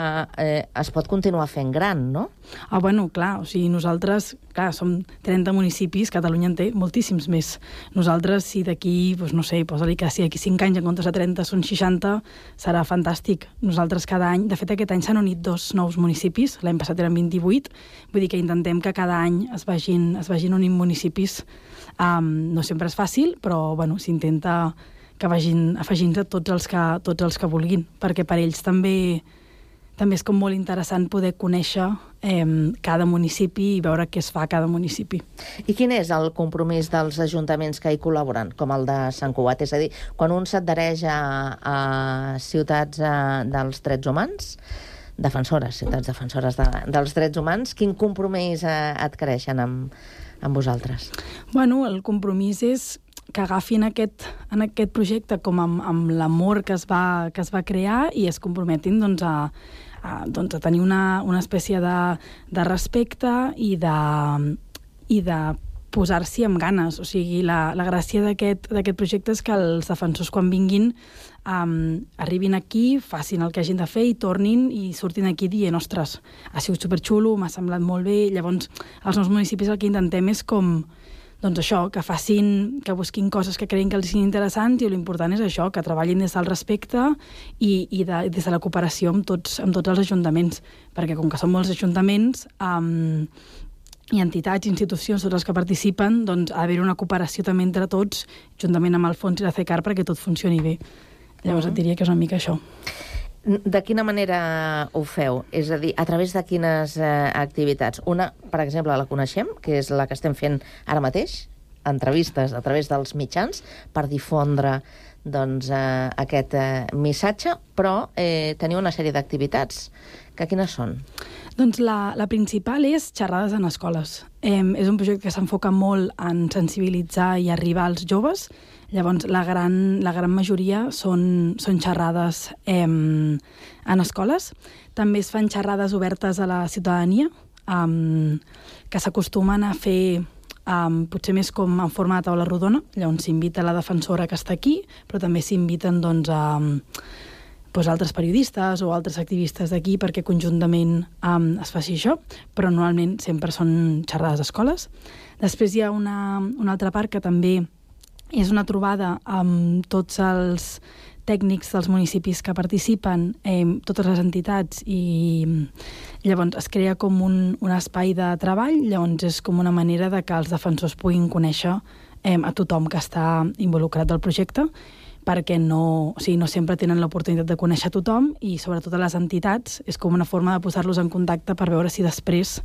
[SPEAKER 6] es pot continuar fent gran, no?
[SPEAKER 18] Bueno, clar, o sigui, nosaltres, clar, som 30 municipis, Catalunya en té moltíssims més. Nosaltres, si d'aquí, doncs no sé, posa-li que si d'aquí 5 anys en comptes de 30 són 60, serà fantàstic. Nosaltres cada any, de fet aquest any s'han unit 2 nous municipis, l'any passat eren 28, vull dir que intentem que cada any es vagin unint municipis. No sempre és fàcil, però bueno, s'intenta que vagin afegint-se tots els que vulguin, perquè per ells també és com molt interessant poder conèixer cada municipi i veure què es fa a cada municipi.
[SPEAKER 6] I quin és el compromís dels ajuntaments que hi col·laboren, com el de Sant Cugat? És a dir, quan un s'adhereix a Ciutats dels Drets Humans, Ciutats Defensores dels Drets Humans, quin compromís adquireixen amb vosaltres?
[SPEAKER 18] Bueno, el compromís és que agafin aquest projecte com amb l'amor que es va crear i es comprometin doncs, a tenir una espècie de respecte i de posar-s'hi amb ganes. O sigui, la gràcia d'aquest projecte és que els defensors, quan vinguin, arribin aquí, facin el que hagin de fer i tornin i surtin aquí dient, ostres, ha sigut superxulo, m'ha semblat molt bé. Llavors, als nous municipis el que intentem és com doncs això, que busquin coses que creguin que els siguin interessants i l'important és això, que treballin des del respecte i des de la cooperació amb tots els ajuntaments, perquè com que són molts ajuntaments i entitats, institucions, tots els que participen, doncs ha d'haver una cooperació també entre tots, juntament amb el Fons i la CECAR, perquè tot funcioni bé. Llavors et diria que és una mica això.
[SPEAKER 6] De quina manera ho feu? És a dir, a través de quines activitats? Una, per exemple, la coneixem, que és la que estem fent ara mateix, entrevistes a través dels mitjans, per difondre aquest missatge, però teniu una sèrie d'activitats. Quines són?
[SPEAKER 18] Doncs la principal és xerrades en escoles. És un projecte que s'enfoca molt en sensibilitzar i arribar als joves. Llavors, la gran majoria són xerrades en escoles. També es fan xerrades obertes a la ciutadania, que s'acostumen a fer potser més com en forma de taula rodona. Llavors s'invita la defensora que està aquí, però també s'inviten altres periodistes o altres activistes d'aquí perquè conjuntament es faci això, però normalment sempre són xerrades d'escoles. Després hi ha una altra part que també és una trobada amb tots els tècnics dels municipis que participen, totes les entitats, i llavors es crea com un espai de treball. Llavors és com una manera de que els defensors puguin conèixer a tothom que està involucrat al projecte, perquè no sempre tenen l'oportunitat de conèixer tothom, i sobretot a les entitats és com una forma de posar-los en contacte per veure si després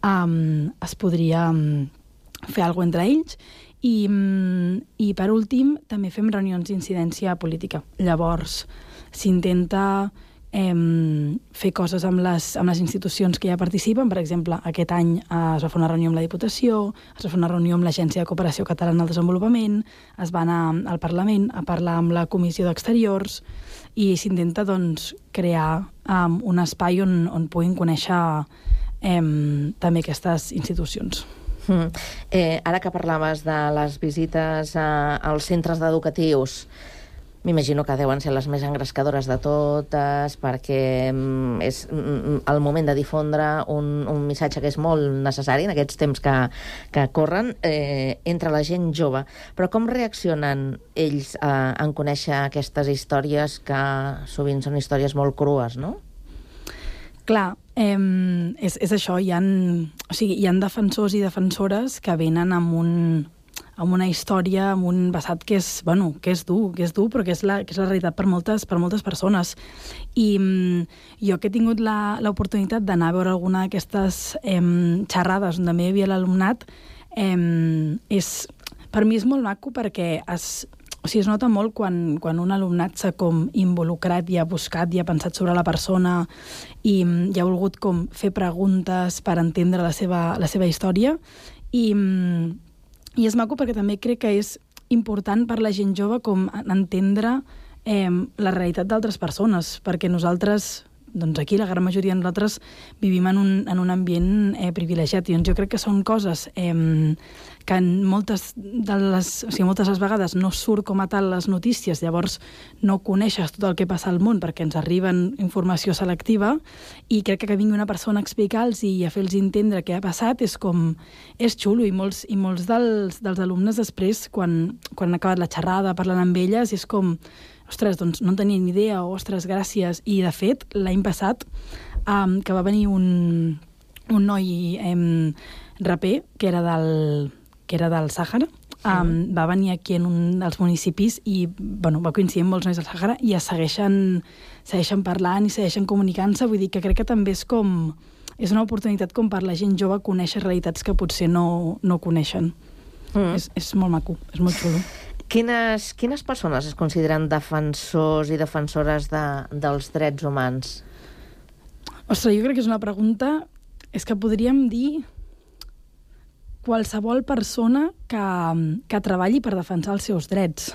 [SPEAKER 18] es podria fer alguna cosa entre ells. I per últim també fem reunions d'incidència política. Llavors s'intenta fer coses amb les institucions que ja participen. Per exemple, aquest any es va fer una reunió amb la Diputació, es va fer una reunió amb l'Agència de Cooperació Catalana al Desenvolupament, es va anar al Parlament a parlar amb la Comissió d'Exteriors, i s'intenta crear un espai on puguin conèixer també aquestes institucions.
[SPEAKER 6] Ara que parlaves de les visites als centres educatius, m'imagino que deuen ser les més engrescadores de totes, perquè és el moment de difondre un missatge que és molt necessari en aquests temps que corren entre la gent jove. Però com reaccionen ells en conèixer aquestes històries, que sovint són històries molt crues, no?
[SPEAKER 18] Clar, és això. Hi ha defensors i defensores que venen amb una història, amb un passat que és dur, però que és la realitat per moltes persones. I jo que he tingut l'oportunitat d'anar a veure alguna d'aquestes xerrades on també hi havia l'alumnat, per mi és molt maco, perquè es nota molt quan un alumnat s'ha com involucrat i ha buscat i ha pensat sobre la persona i ha volgut com fer preguntes per entendre la seva història. I és maco perquè també crec que és important per la gent jove com entendre la realitat d'altres persones, perquè nosaltres, aquí la gran majoria de nosaltres vivim en un ambient privilegiat, i jo crec que són coses que moltes de les vegades no surt com a tal les notícies, llavors no coneixes tot el que passa al món perquè ens arriben informació selectiva, i crec que vingui una persona a explicar-los i a fer-los entendre què ha passat és xulo, i molts dels alumnes després, quan han acabat la xerrada parlant amb elles, és com, ostres, doncs no en tenia ni idea, o ostres, gràcies. I de fet, l'any passat, que va venir un noi raper, que era del Sàhara, va venir aquí en un dels municipis i va coincidir amb molts nois del Sàhara, i es segueixen parlant i segueixen comunicant-se. Vull dir que crec que també és una oportunitat com per la gent jove conèixer realitats que potser no coneixen. És molt maco, és molt xulo.
[SPEAKER 6] Quines persones es consideren defensors i defensores dels drets humans?
[SPEAKER 18] Ostres, jo crec que és una pregunta... És que podríem dir qualsevol persona que treballi per defensar els seus drets.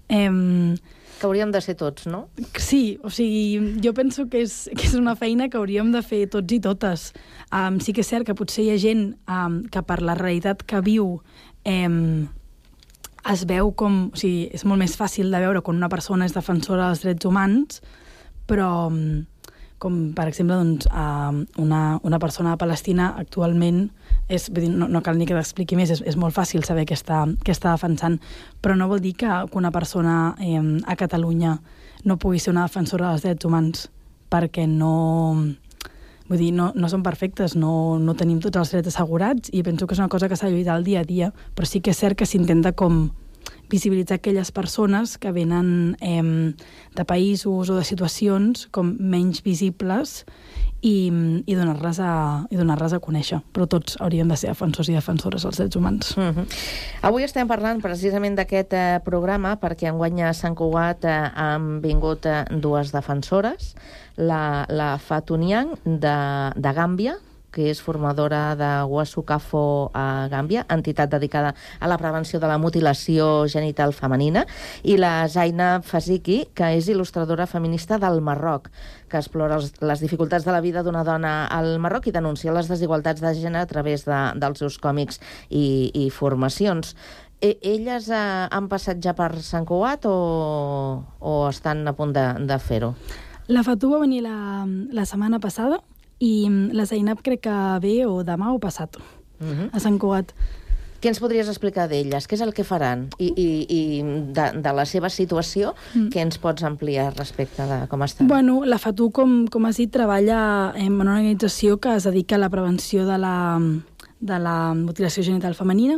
[SPEAKER 6] Que hauríem de ser tots, no?
[SPEAKER 18] Sí, jo penso que és una feina que hauríem de fer tots i totes. Sí que és cert que potser hi ha gent que per la realitat que viu es veu com... és molt més fàcil de veure quan una persona és defensora dels drets humans, però com per exemple una persona de Palestina actualment no cal ni que t'expliqui més, és molt fàcil saber què està defensant, però no vol dir que una persona a Catalunya no pugui ser una defensora dels drets humans, perquè no són perfectes, no tenim tots els drets assegurats, i penso que és una cosa que s'ha de lluitar al dia a dia, però sí que és cert que s'intenta com visibilitzar aquelles persones que venen de països o de situacions com menys visibles i donar-les a conèixer. Però tots hauríem de ser defensors i defensores dels drets humans.
[SPEAKER 6] Avui estem parlant precisament d'aquest programa perquè enguany a Sant Cugat han vingut dues defensores, la Fatou Niang de Gàmbia, que és formadora de Wasukafo a Gàmbia, entitat dedicada a la prevenció de la mutilació genital femenina, i la Zainab Faziki, que és il·lustradora feminista del Marroc, que explora les dificultats de la vida d'una dona al Marroc i denuncia les desigualtats de gènere a través dels seus còmics i formacions. Elles han passat ja per Sant Cugat o estan a punt de fer-ho?
[SPEAKER 18] La Fatou va venir la setmana passada i la Zainab crec que ve o demà o passat a Sant Cugat.
[SPEAKER 6] Què ens podries explicar d'elles? Què és el que faran? I de la seva situació, què ens pots ampliar respecte de com estan?
[SPEAKER 18] Bueno, la Fatou, com has dit, treballa en una organització que es dedica a la prevenció de la mutilació genital femenina.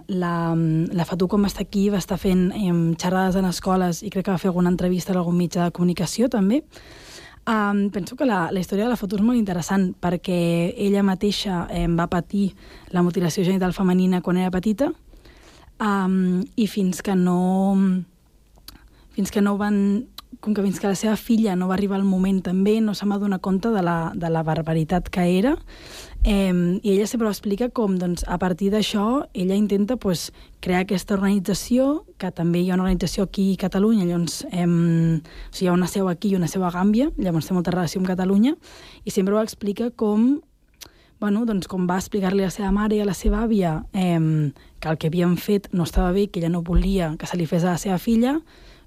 [SPEAKER 18] La Fatou, com està aquí, va estar fent xerrades en escoles i crec que va fer alguna entrevista a algun mitjà de comunicació, també. Penso que la història de la Fatou és molt interessant perquè ella mateixa va patir la mutilació genital femenina quan era petita i fins que la seva filla no va arribar al moment també no se m'ha donat compte de la barbaritat que era i ella sempre ho explica com a partir d'això ella intenta crear aquesta organització, que també hi ha una organització aquí a Catalunya, llavors hi ha una seu aquí i una seu a Gàmbia, llavors té molta relació amb Catalunya, i sempre ho explica com va explicar-li a la seva mare i a la seva àvia que el que havien fet no estava bé, que ella no volia que se li fes a la seva filla,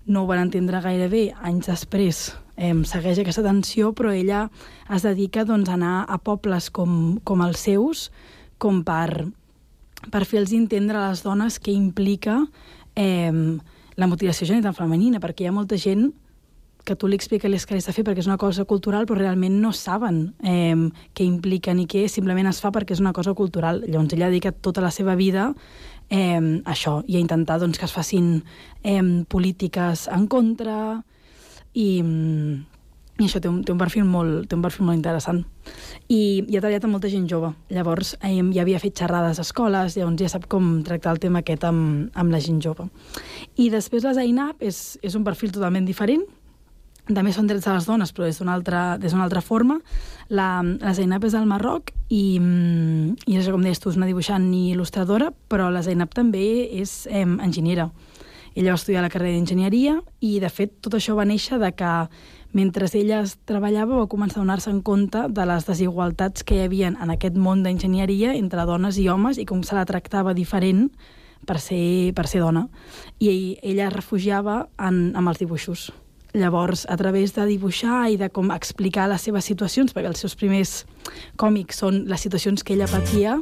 [SPEAKER 18] no ho van entendre gaire bé, anys després segueix aquesta tensió, però ella es dedica a anar a pobles com els seus, com per fer-los entendre a les dones què implica la mutilació genital femenina, perquè hi ha molta gent que tu li expliques que has de fer perquè és una cosa cultural, però realment no saben què implica ni què, simplement es fa perquè és una cosa cultural. Llavors ella ha dedicat tota la seva vida a això, i a intentar que es facin polítiques en contra, i això té un perfil molt interessant. I ha treballat amb molta gent jove. Llavors ja havia fet xerrades a escoles, llavors ja sap com tractar el tema aquest amb la gent jove. I després la Zainab és un perfil totalment diferent. També són drets de les dones, però des d'una altra forma. La Zainab és del Marroc i és, com deies tu, és una dibuixant i il·lustradora, però la Zainab també és enginyera. Ella va estudiar la carrera d'enginyeria i, de fet, tot això va néixer de que mentre ella treballava va començar a donar-se en compte de les desigualtats que hi havia en aquest món d'enginyeria entre dones i homes i com se la tractava diferent per ser dona. I ella es refugiava amb els dibuixos. Llavors, a través de dibuixar i de com explicar les seves situacions, perquè els seus primers còmics són les situacions que ella patia,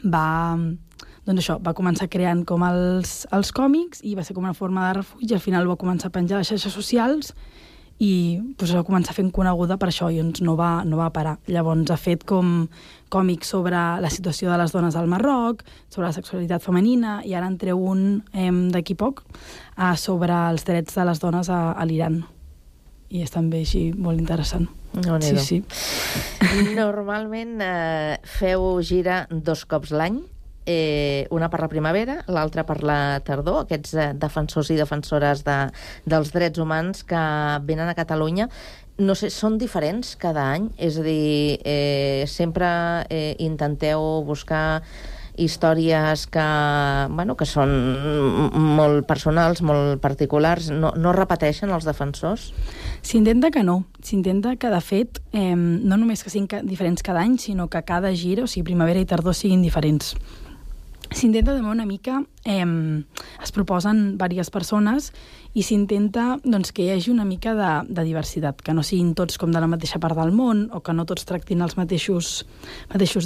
[SPEAKER 18] va començar creant com els còmics i va ser com una forma de refugi. Al final va començar a penjar a les xarxes socials i va començar fent coneguda per això i no va parar. Llavors ha fet com còmics sobre la situació de les dones al Marroc, sobre la sexualitat femenina, i ara en treu un d'aquí poc sobre els drets de les dones a l'Iran. I és també així molt interessant. Sí.
[SPEAKER 6] Normalment feu gira 2 cops l'any, una per la primavera, l'altra per la tardor, aquests defensors i defensores dels drets humans que venen a Catalunya. No sé, són diferents cada any? És a dir, sempre intenteu buscar històries que són molt personals, molt particulars. No repeteixen els defensors?
[SPEAKER 18] S'intenta que no. S'intenta que, de fet, no només que siguin diferents cada any, sinó que cada gira, o sigui, primavera i tardor, siguin diferents. S'intenta també una mica, es proposen diverses persones i s'intenta que hi hagi una mica de diversitat, que no siguin tots com de la mateixa part del món o que no tots tractin els mateixos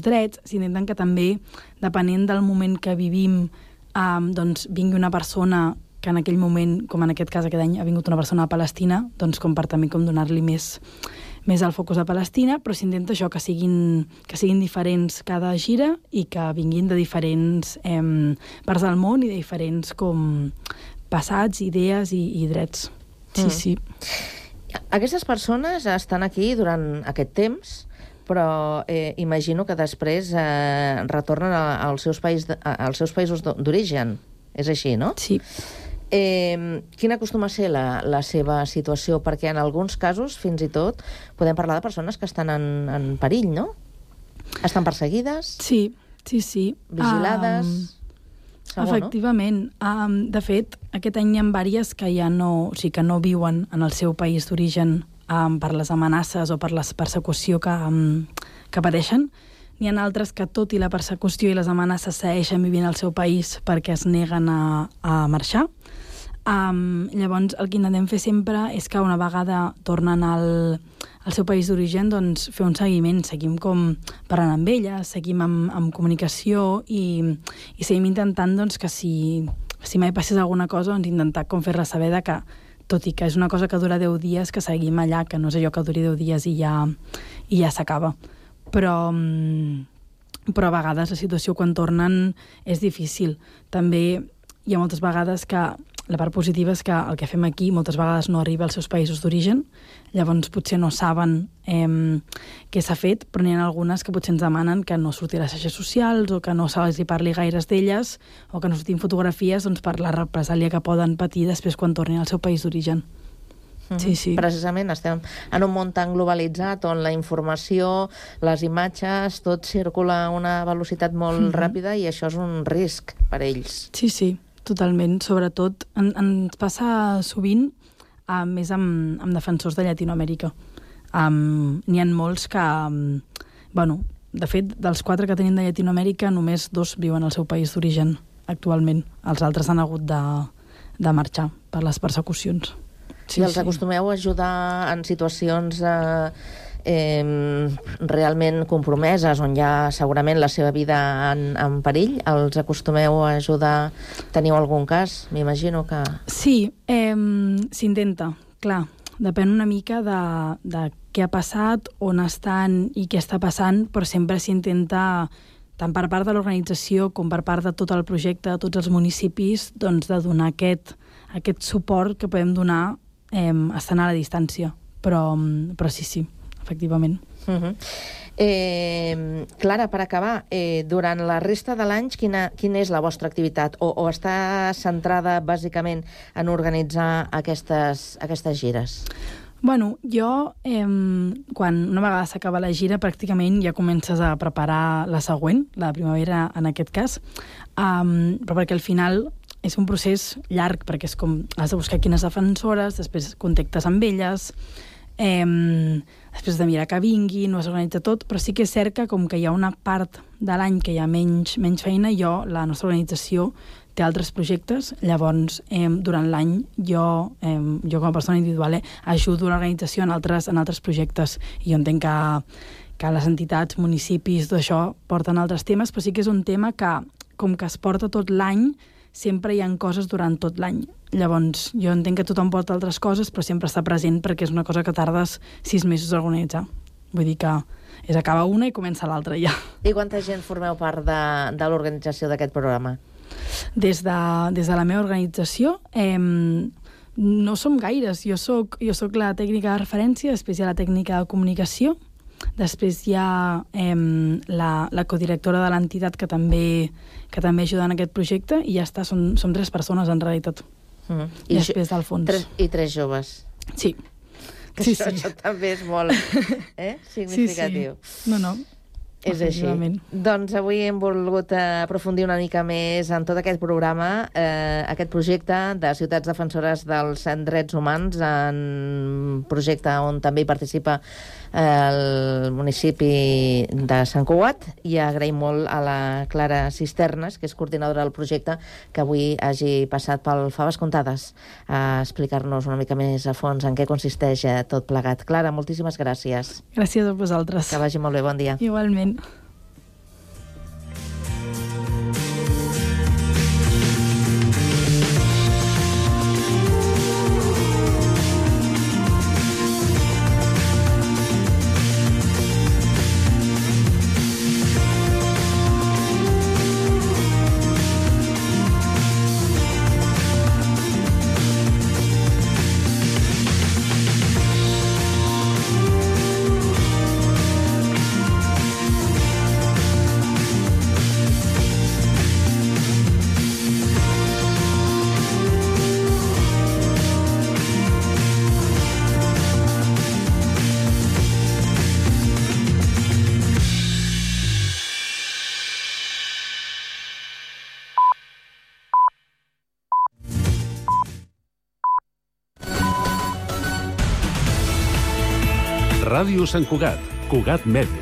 [SPEAKER 18] drets. S'intenten que també, depenent del moment que vivim, vingui una persona en aquell moment, com en aquest cas aquest any, ha vingut una persona a Palestina, doncs com per també com donar-li més al focus a Palestina, però s'intenta això, que siguin diferents cada gira i que vinguin de diferents parts del món i de diferents com passats, idees i drets. Sí.
[SPEAKER 6] Aquestes persones estan aquí durant aquest temps, però imagino que després retornen als seus països d'origen. És així, no?
[SPEAKER 18] Sí.
[SPEAKER 6] Quina acostuma a ser la seva situació? Perquè en alguns casos, fins i tot, podem parlar de persones que estan en perill, no? Estan perseguides?
[SPEAKER 18] Sí.
[SPEAKER 6] Vigilades? Segur,
[SPEAKER 18] efectivament.
[SPEAKER 6] No?
[SPEAKER 18] De fet, aquest any hi ha diverses que ja no viuen en el seu país d'origen per les amenaces o per la persecució que pateixen. N'hi ha altres que, tot i la persecució i les amenaces, segueixen vivint al seu país perquè es neguen a marxar. Llavors, el que intentem fer sempre és que una vegada tornen al seu país d'origen, doncs fer un seguiment. Seguim com parlant amb elles, seguim amb comunicació i seguim intentant doncs, que si mai passés alguna cosa, doncs intentar com fer-la saber que, tot i que és una cosa que dura 10 dies, que seguim allà, que no és allò que duri 10 dies i ja s'acaba. Però a vegades la situació quan tornen és difícil. També hi ha moltes vegades que la part positiva és que el que fem aquí moltes vegades no arriba als seus països d'origen, llavors potser no saben què s'ha fet, però n'hi ha algunes que potser ens demanen que no surti a les xarxes socials o que no se'ls hi parli gaires d'elles o que no sortin fotografies per la represàlia que poden patir després quan tornin al seu país d'origen. Sí.
[SPEAKER 6] Precisament estem en un món tan globalitzat on la informació, les imatges, tot circula a una velocitat molt ràpida i això és un risc per ells.
[SPEAKER 18] Sí, totalment. Sobretot ens passa sovint més amb defensors de Llatinoamèrica. N'hi ha molts que, de fet, dels 4 que tenim de Llatinoamèrica, només 2 viuen al seu país d'origen actualment. Els altres han hagut de marxar per les persecucions.
[SPEAKER 6] I els acostumeu a ajudar en situacions realment compromeses, on hi ha segurament la seva vida en perill? Els acostumeu a ajudar? Teniu algun cas? M'imagino que...
[SPEAKER 18] Sí, s'intenta, clar. Depèn una mica de què ha passat, on estan i què està passant, però sempre s'intenta, tant per part de l'organització com per part de tot el projecte, de tots els municipis, doncs de donar aquest suport que podem donar estant a la distància, però sí, efectivament.
[SPEAKER 6] Clara, per acabar, durant la resta de l'any, quina és la vostra activitat? O està centrada bàsicament en organitzar aquestes gires?
[SPEAKER 18] Bueno, jo, quan una vegada s'acaba la gira, pràcticament ja comences a preparar la següent, la primavera en aquest cas, però perquè al final és un procés llarg, perquè és com has de buscar quines defensores, després contactes amb elles, després de mirar que vinguin, ho has organitzat tot, però sí que és cert que com que hi ha una part de l'any que hi ha menys feina, la nostra organització té altres projectes, llavors durant l'any jo com a persona individual ajudo l'organització en altres projectes, i jo entenc que les entitats, municipis, tot això porten altres temes, però sí que és un tema que, com que es porta tot l'any, sempre hi ha coses durant tot l'any. Llavors, jo entenc que tothom porta altres coses, però sempre està present perquè és una cosa que tardes 6 mesos a organitzar. Vull dir que acaba una i comença l'altra ja.
[SPEAKER 6] I quanta gent formeu part de l'organització d'aquest programa?
[SPEAKER 18] Des de la meva organització no som gaires. Jo soc la tècnica de referència, després hi ha la tècnica de comunicació, després hi ha la codirectora de l'entitat que també ajuda en aquest projecte, i ja està, som 3 persones en realitat. I després del fons.
[SPEAKER 6] I 3 joves.
[SPEAKER 18] Sí.
[SPEAKER 6] Això també és molt significatiu.
[SPEAKER 18] Sí. No.
[SPEAKER 6] És així. Doncs avui hem volgut aprofundir una mica més en tot aquest programa, aquest projecte de Ciutats Defensores dels Drets Humans, un projecte on també hi participa el municipi de Sant Cugat, i agraïm molt a la Clara Cisternes, que és coordinadora del projecte, que avui hagi passat pel Faves Comptades a explicar-nos una mica més a fons en què consisteix tot plegat. Clara, moltíssimes gràcies.
[SPEAKER 18] Gràcies a vosaltres.
[SPEAKER 6] Que vagi molt bé, bon dia.
[SPEAKER 18] Igualment.
[SPEAKER 5] Ràdio Sant Cugat, Cugat Mèdia.